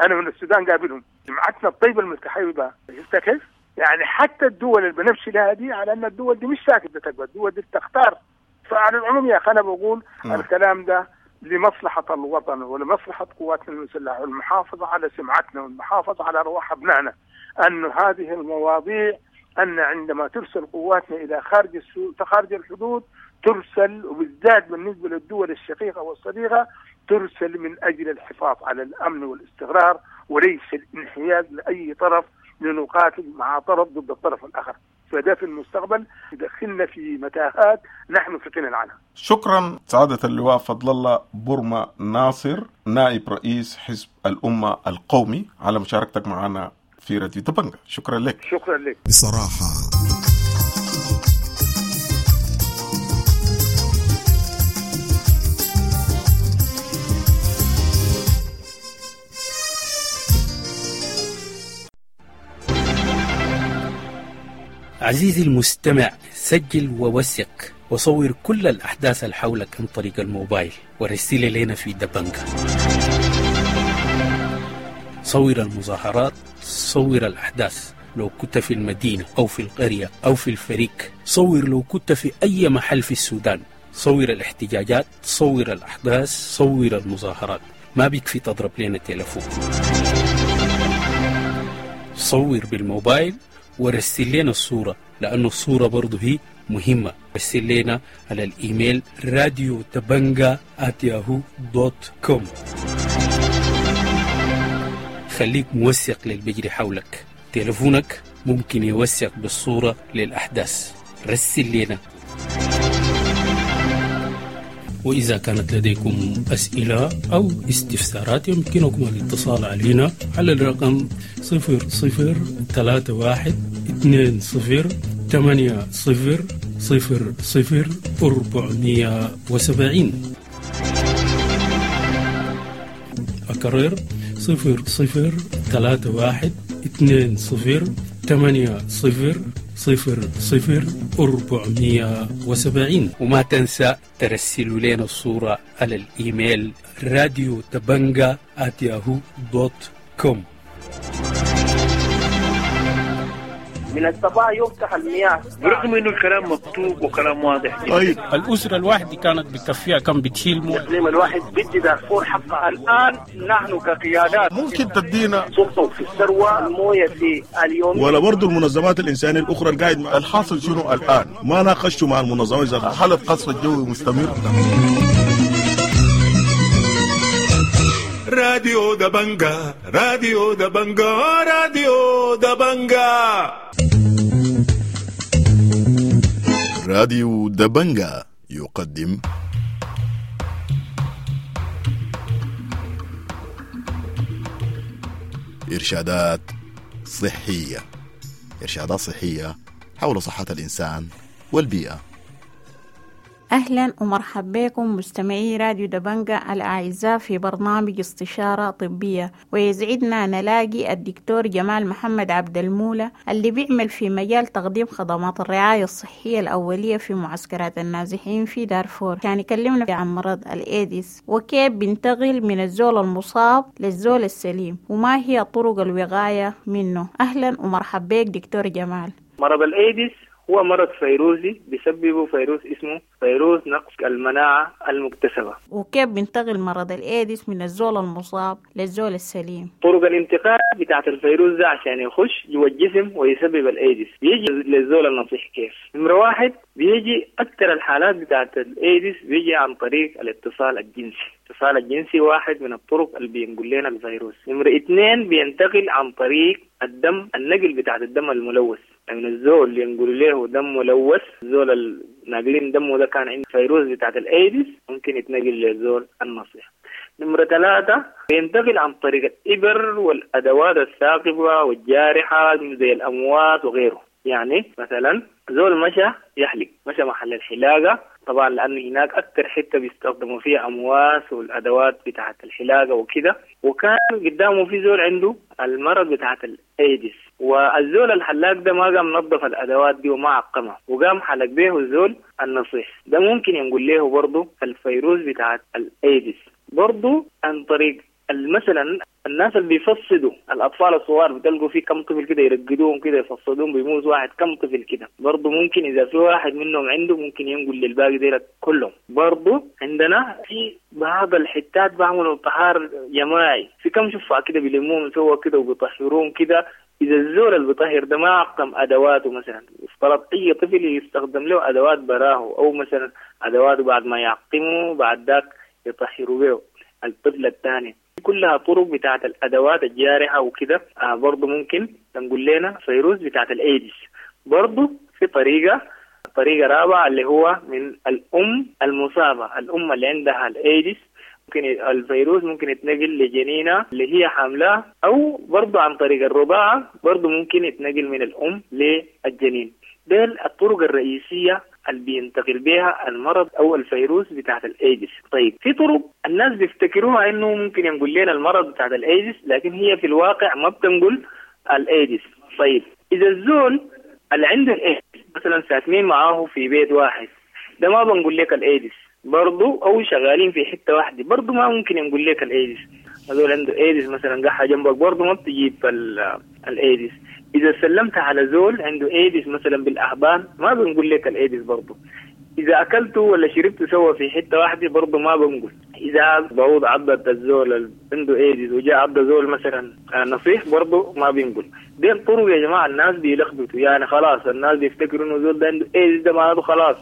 انا من السودان قابلهم جماعتنا الطيبة المتحيبه. شفت كيف؟ يعني حتى الدول اللي بنمشي لها دي على ان الدول دي مش ساكته تقبل، الدول دي بتختار. فعلى العموم يا اخي انا بقول الكلام ده لمصلحة الوطن ولمصلحه قواتنا المسلحة والمحافظة على سمعتنا والمحافظة على ارواح ابنائنا، ان هذه المواضيع ان عندما ترسل قواتنا الى خارج الحدود ترسل، وبالذات بالنسبة للدول الشقيقة والصديقة، ترسل من أجل الحفاظ على الأمن والاستقرار وليس الانحياز لأي طرف لنقاتل مع طرف ضد الطرف الآخر. فده في المستقبل يدخلنا في متاهات نحن في غنى عنها. شكرا سعادة اللواء فضل الله برما ناصر، نائب رئيس حزب الأمة القومي، على مشاركتك معنا في راديو دبنجة. شكرا لك. شكرا لك. بصراحة عزيزي المستمع، سجل ووثق وصور كل الأحداث اللي حولك عن طريق الموبايل ورسل لنا في دبنجة. صور المظاهرات، صور الأحداث لو كنت في المدينة أو في القرية أو في الفريق، صور لو كنت في أي محل في السودان، صور الاحتجاجات، صور الأحداث، صور المظاهرات. ما بيكفي تضرب لنا تلفون، صور بالموبايل ورسل لنا الصورة، لأنه الصورة برضو هي مهمة. رسل لنا على الإيميل radiodabanga@yahoo.com. خليك موثق للبجري حولك، تلفونك ممكن يوثق بالصورة للأحداث. رسل لنا. وإذا كانت لديكم أسئلة أو استفسارات يمكنكم الاتصال علينا على الرقم 0031 20 80 0 0 470. أكرر 0031 20 80 0 0 470. وما تنسى ترسلوا لنا الصورة على الإيميل radiodabanga@yahoo.com. من الصباح يفتح المياه برغم انه الكلام مكتوب وكلام واضح. طيب الاسرة الواحدة كانت بتكفيها كم بتشيل مويه؟ الاقليم الواحد بدي دارفور حقها. الان نحن كقيادات ممكن تدينا سلطة في الثروة المويه في اليوم، ولا برضه المنظمات الانسانية الاخرى القاعد مع الحاصل شنو الان؟ ما ناقشتوا مع المنظمات. حاله قصف الجوي مستمر. راديو دبنجا، راديو دبنجا، راديو دبنجا. راديو دبنجا يقدم إرشادات صحية. إرشادات صحية حول صحة الإنسان والبيئة. أهلا ومرحبا بكم مستمعي راديو دبنجا الأعزاء في برنامج استشارة طبية، ويسعدنا نلاقي الدكتور جمال محمد عبد المولى اللي بيعمل في مجال تقديم خدمات الرعاية الصحية الأولية في معسكرات النازحين في دارفور. كان يكلمنا عن مرض الإيدز وكيف بينتقل من الزول المصاب للزول السليم وما هي طرق الوقاية منه. أهلا ومرحبا بك دكتور جمال. مرض الإيدز هو مرض فيروسي بيسببه فيروس اسمه فيروس نقص المناعة المكتسبة. وكيف بينتقل مرض الإيدز من الزول المصاب للزول السليم؟ طرق الانتقال بتاعت الفيروس ده عشان يخش جوا الجسم ويسبب الايدز بيجي للزول النصيح كيف؟ نمرة واحد، بيجي أكثر الحالات بتاعت الايدز بيجي عن طريق الاتصال الجنسي. الاتصال الجنسي واحد من الطرق اللي بينقل لنا الفيروس. نمرة اثنين، بينتقل عن طريق الدم، النقل بتاعت الدم الملوث. يعني الزول اللي ينقل له دم ملوث، الزول الناقلين دمه ده كان عنده فيروس بتاعت الايدز، ممكن يتنقل للزول النصيح. نمرة ثلاثة، بينتقل عن طريق الإبر والأدوات الثاقبة والجارحة زي الأمواس وغيره. يعني مثلا زول مشى يحلق، مشى محل الحلاقة، طبعا لأنه هناك أكثر حتة بيستخدموا فيها أمواس والأدوات بتاعة الحلاقة وكده، وكان قدامه في زول عنده المرض بتاعة الأيدز، والزول الحلاق ده ما قام نظف الأدوات دي وما عقمها، وقام حلق به الزول النصيح ده، ممكن ينقل له برضه الفيروس بتاعة الأيدز. برضه عن طريق مثلا الناس اللي بيفصدوا الاطفال الصغار، بتلقوا في كم طفل كده يرقدوهم كده يفصدوهم، بيموت واحد كم طفل كده، برضه ممكن اذا في واحد منهم عنده ممكن ينقل للباقي ديل كلهم. برضه عندنا في بعض الحتات بعملوا طهار جماعي، في كم شفعة كده بيلموهم سوا كده وبيطهروهم كده. إذا الزول اللي بيطهر ده ما عقم أدواته، مثلا افترض أي طفل يستخدم له أدوات براه، أو مثلا أدواته بعد ما يعقمه بعد ذاك يطهروا به الطفل الثاني. كلها طرق بتاعت الأدوات الجارحة وكده، برضو ممكن تنقل لنا فيروس بتاعت الإيدز. برضو في طريقة رابعة اللي هو من الأم المصابة، الأم اللي عندها الإيدز ممكن الفيروس ممكن يتنقل لجنينة اللي هي حاملاه، أو برضو عن طريق الرضاعة برضو ممكن يتنقل من الأم للجنين. دي الطرق الرئيسية اللي بينتقل بها المرض أو الفيروس بتاعت الإيدز. طيب في طرق الناس بيفتكروها إنه ممكن ينقل لنا المرض بتاعت الإيدز، لكن هي في الواقع ما بتنقل الإيدز. طيب إذا الزول اللي عنده الإيدز مثلا ساكنين معاه في بيت واحد، ده ما بنقول لك الإيدز برضو، أو شغالين في حتة واحدة برضو ما ممكن ينقل لك الإيدز. هذول عنده إيدز مثلا قحة جنبك برضو ما بتجيب الإيدز. إذا سلمت على زول عنده إيدز مثلا بالأحضان ما بنقول لك الإيدز برضو. إذا أكلته ولا شربته سوا في حتة واحدة برضو ما بنقول. إذا بعوض عضت الزول اللي عنده إيدز وجاء عض زول مثلا نصيح برضو ما بنقول. دي الطرق يا جماعة الناس بيلخبطوا، يعني خلاص الناس بيفتكروا إنه زول ده عنده إيدز ده معناته خلاص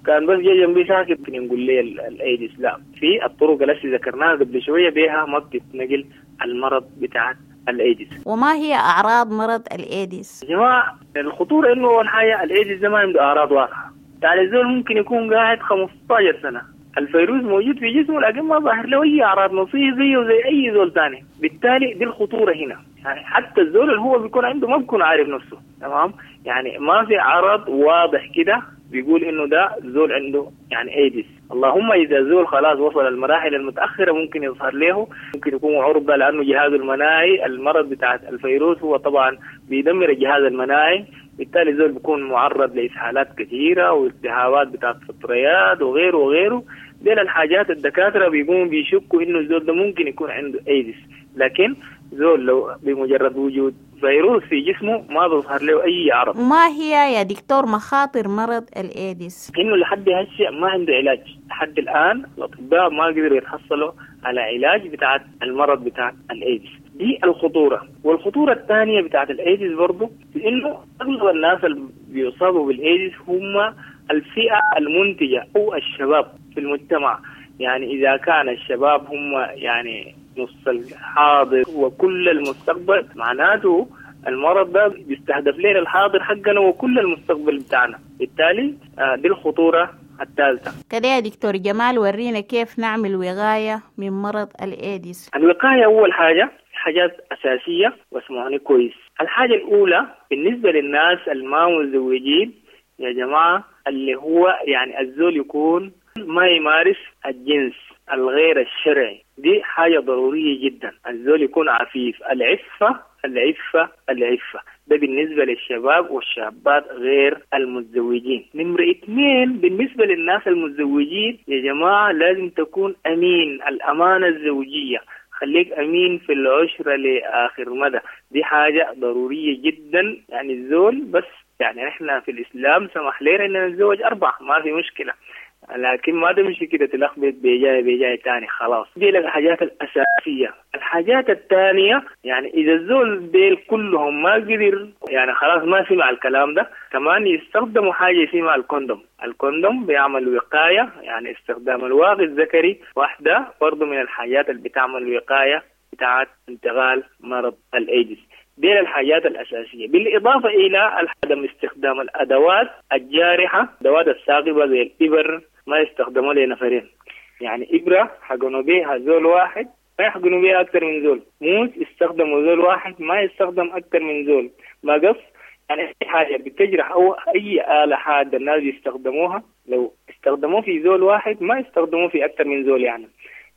كان بس جاي جنبي ساكت ينقول لي الإيدز. لا، في الطرق التي ذكرناها قبل شوية بها ما بتتنقل المرض بتاع الإيدز. وما هي أعراض مرض الإيدز؟ يا جماعة الخطورة إنه أول حاجة الإيدز ده ما عنده أعراض واضحة، يعني الزول ممكن يكون قاعد 15 سنة الفيروس موجود في جسمه لكن ما ظاهر له أي أعراض نصية زيه زي أي زول ثاني. بالتالي دي الخطورة هنا، يعني حتى الزول اللي هو بيكون عنده ما بيكون عارف نفسه، تمام؟ يعني ما في عرض واضح كده بيقول إنه ده زول عنده يعني إيدز. اللهم إذا زول خلاص وصل المراحل المتأخرة ممكن يظهر له، ممكن يكون عرضة لأنه جهازه المناعي المرض بتاع الفيروس هو طبعا بيدمر الجهاز المناعي، بالتالي زول بيكون معرض لإسهالات كثيرة والتهابات بتاعت فطريات وغيره وغيره. دي الحاجات الدكاترة بيقوموا بيشكوا إنه الزول ده ممكن يكون عنده إيدز، لكن زول لو بمجرد وجود فيروس في جسمه ما بيظهر له أي عرض. ما هي يا دكتور مخاطر مرض الإيدز؟ إنه لحد هسه ما عنده علاج، لحد الآن الأطباء ما قدروا يتحصلوا على علاج بتاع المرض بتاع الإيدز. دي الخطورة. والخطورة الثانية بتاعت الإيدز برضو إنه أغلب الناس اللي بيصابوا بالإيدز هم الفئة المنتجة أو الشباب في المجتمع. يعني إذا كان الشباب هم يعني نص الحاضر وكل المستقبل، معناته المرض ده بيستهدف لنا الحاضر حقنا وكل المستقبل بتاعنا. بالتالي دي الخطورة الثالثة. كده يا دكتور جمال ورينا كيف نعمل وقاية من مرض الإيدز. الوقاية أول حاجة حاجات أساسية واسمعوني كويس. الحاجة الأولى بالنسبة للناس الما متزوجين يا جماعة، اللي هو يعني الزول يكون ما يمارس الجنس الغير الشرعي، دي حاجة ضرورية جدا. الزول يكون عفيف، العفة العفة العفة، ده بالنسبة للشباب والشابات غير المتزوجين. نمرة 2 بالنسبة للناس المتزوجين يا جماعة لازم تكون أمين، الأمانة الزوجية، خليك أمين في العشرة لآخر مدى، دي حاجة ضرورية جدا. يعني الزول بس يعني احنا في الإسلام سمح لنا إن نتزوج 4، ما في مشكلة، لكن ما تمشي كده تلخبط بجاي بجاي تاني خلاص. دي لك الحاجات الأساسية. الحاجات الثانية يعني إذا الزول ديل كلهم ما قدر يعني خلاص ما سمع الكلام ده، كمان يستخدموا حاجة اسمها ال condom. ال condom بيعمل وقاية، يعني استخدام الواقي الذكري واحدة برضو من الحاجات اللي بتعمل وقاية بتاعت انتقال مرض الإيدز. دي الحاجات الأساسية، بالإضافة إلى عدم استخدام الأدوات الجارحة، الأدوات الثاقبة زي الإبر ما يستخدموا لنفرين، يعني إبرة حقنوا بيها زول واحد ما يحقنوا بيها أكثر من زول، موس يستخدموا زول واحد ما يستخدم أكثر من زول، مقص يعني أي حاجة بتجرح أو أي آلة حادة الناس يستخدموها لو استخدموه في زول واحد ما يستخدموه في أكثر من زول. يعني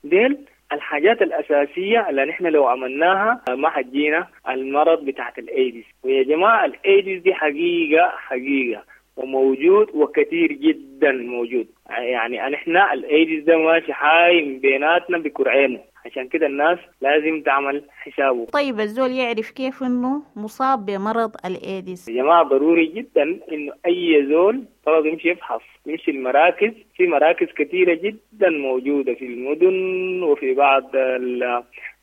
ديل الحاجات الأساسية اللي نحن لو عملناها ما حتجينا المرض بتاعت الإيدز. ويا جماعة الإيدز دي حقيقة حقيقة وموجود وكثير جدا موجود، يعني نحن الإيدز ده ماشي حايم بيناتنا بكرعينه، عشان كده الناس لازم تعمل حسابه. طيب الزول يعرف كيف انه مصاب بمرض الايدز؟ يا جماعة ضروري جدا انه اي زول طلب يمشي يفحص، يمشي المراكز، في مراكز كثيرة جدا موجودة في المدن وفي بعض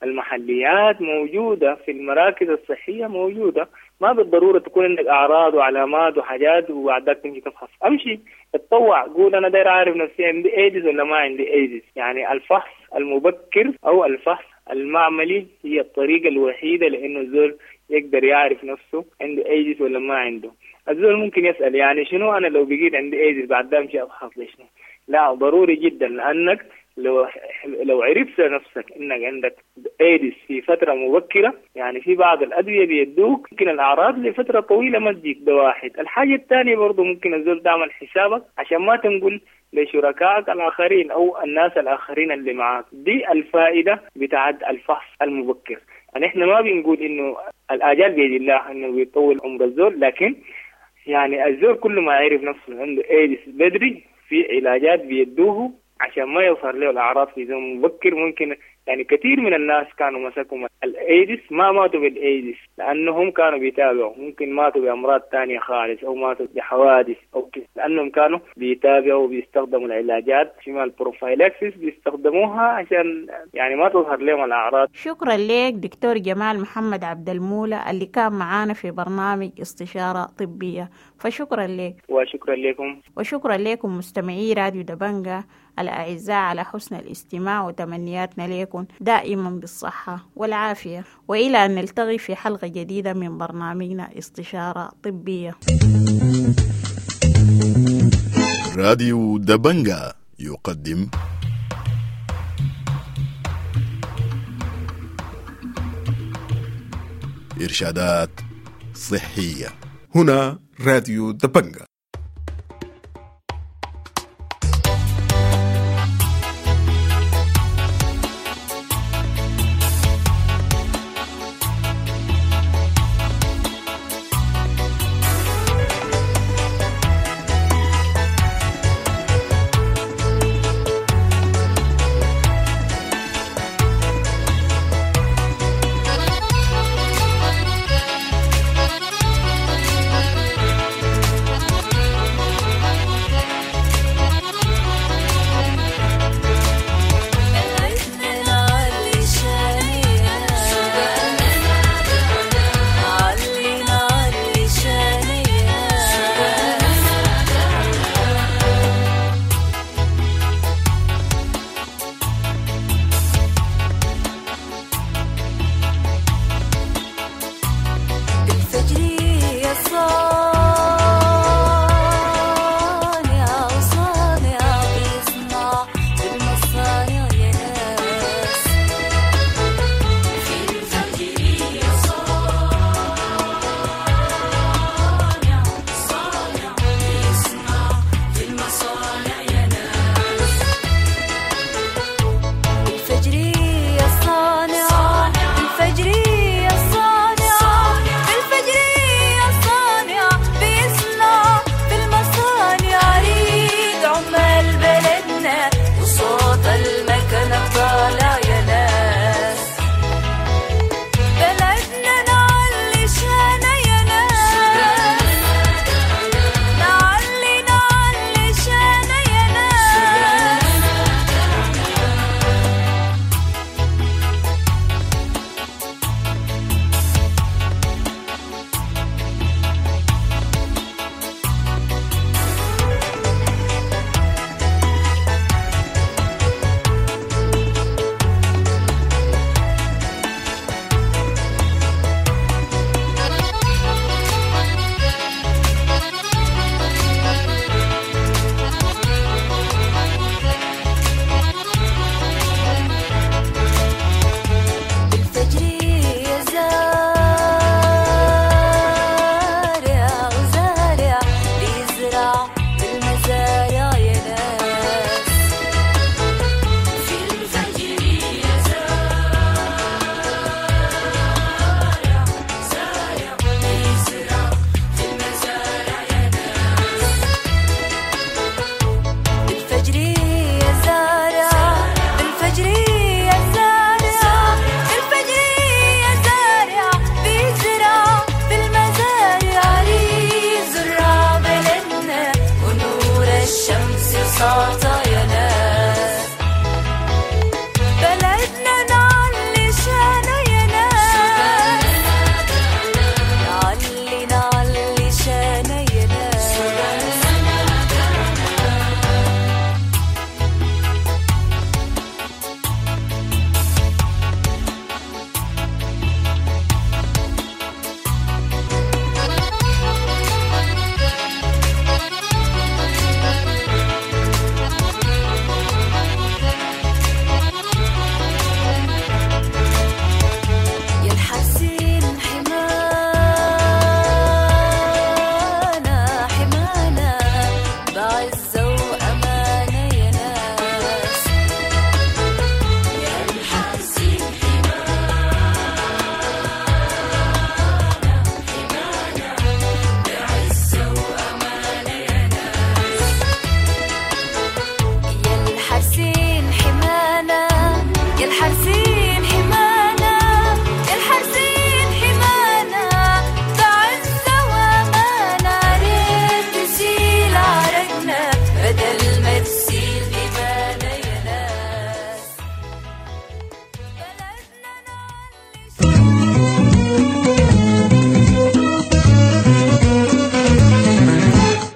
المحليات موجودة، في المراكز الصحية موجودة. ما بالضرورة تكون عندك أعراض وعلامات وحاجات وبعدك تمشي تفحص، أمشي اتطوع، قول أنا داير أعرف نفسي عندي ايدز ولا ما عندي ايدز. يعني الفحص المبكر أو الفحص المعملي هي الطريقة الوحيدة لأنه الزول يقدر يعرف نفسه عنده ايدز ولا ما عنده. الزول ممكن يسأل يعني شنو أنا لو بقيت عندي ايدز بعد ده أمشي أفحص ليش؟ لا ضروري جدا، لأنك لو عرفت نفسك انك عندك ايدز في فترة مبكرة، يعني في بعض الادوية بيدوك ممكن الاعراض لفترة طويلة ما تجيك، ده واحد. الحاجة الثانية برضو ممكن الزول تعمل حسابك عشان ما تنقل لشركائك الاخرين او الناس الاخرين اللي معاك. دي الفائدة بتاعت الفحص المبكر. يعني احنا ما بنقول انه الاجال بيد الله انه بيطول عمر الزول، لكن يعني الزول كل ما عرف نفسه عنده ايدز بدري في علاجات بيدوه عشان ما يظهر له الأعراض في زمن مبكر. ممكن يعني كثير من الناس كانوا مسكوا الإيدز ما ماتوا بالإيدز لأنهم كانوا بيتابعوا، ممكن ماتوا بأمراض تانية خالص أو ماتوا بحوادث أو كده، لأنهم كانوا بيتابعوا وبيستخدموا العلاجات شمال ال prophylaxis بيستخدموها عشان يعني ما تظهر لهم الأعراض. شكرا لك دكتور جمال محمد عبد المولى اللي كان معانا في برنامج استشارة طبية، فشكرا لك. وشكرا لكم. وشكرا لكم مستمعي راديو دبنجة الأعزاء على حسن الاستماع، وتمنياتنا لكم دائما بالصحة والعافية، وإلى أن نلتقي في حلقة جديدة من برنامجنا استشارة طبية. راديو دبنجة يقدم إرشادات صحية. هنا راديو دبنجة. صوت.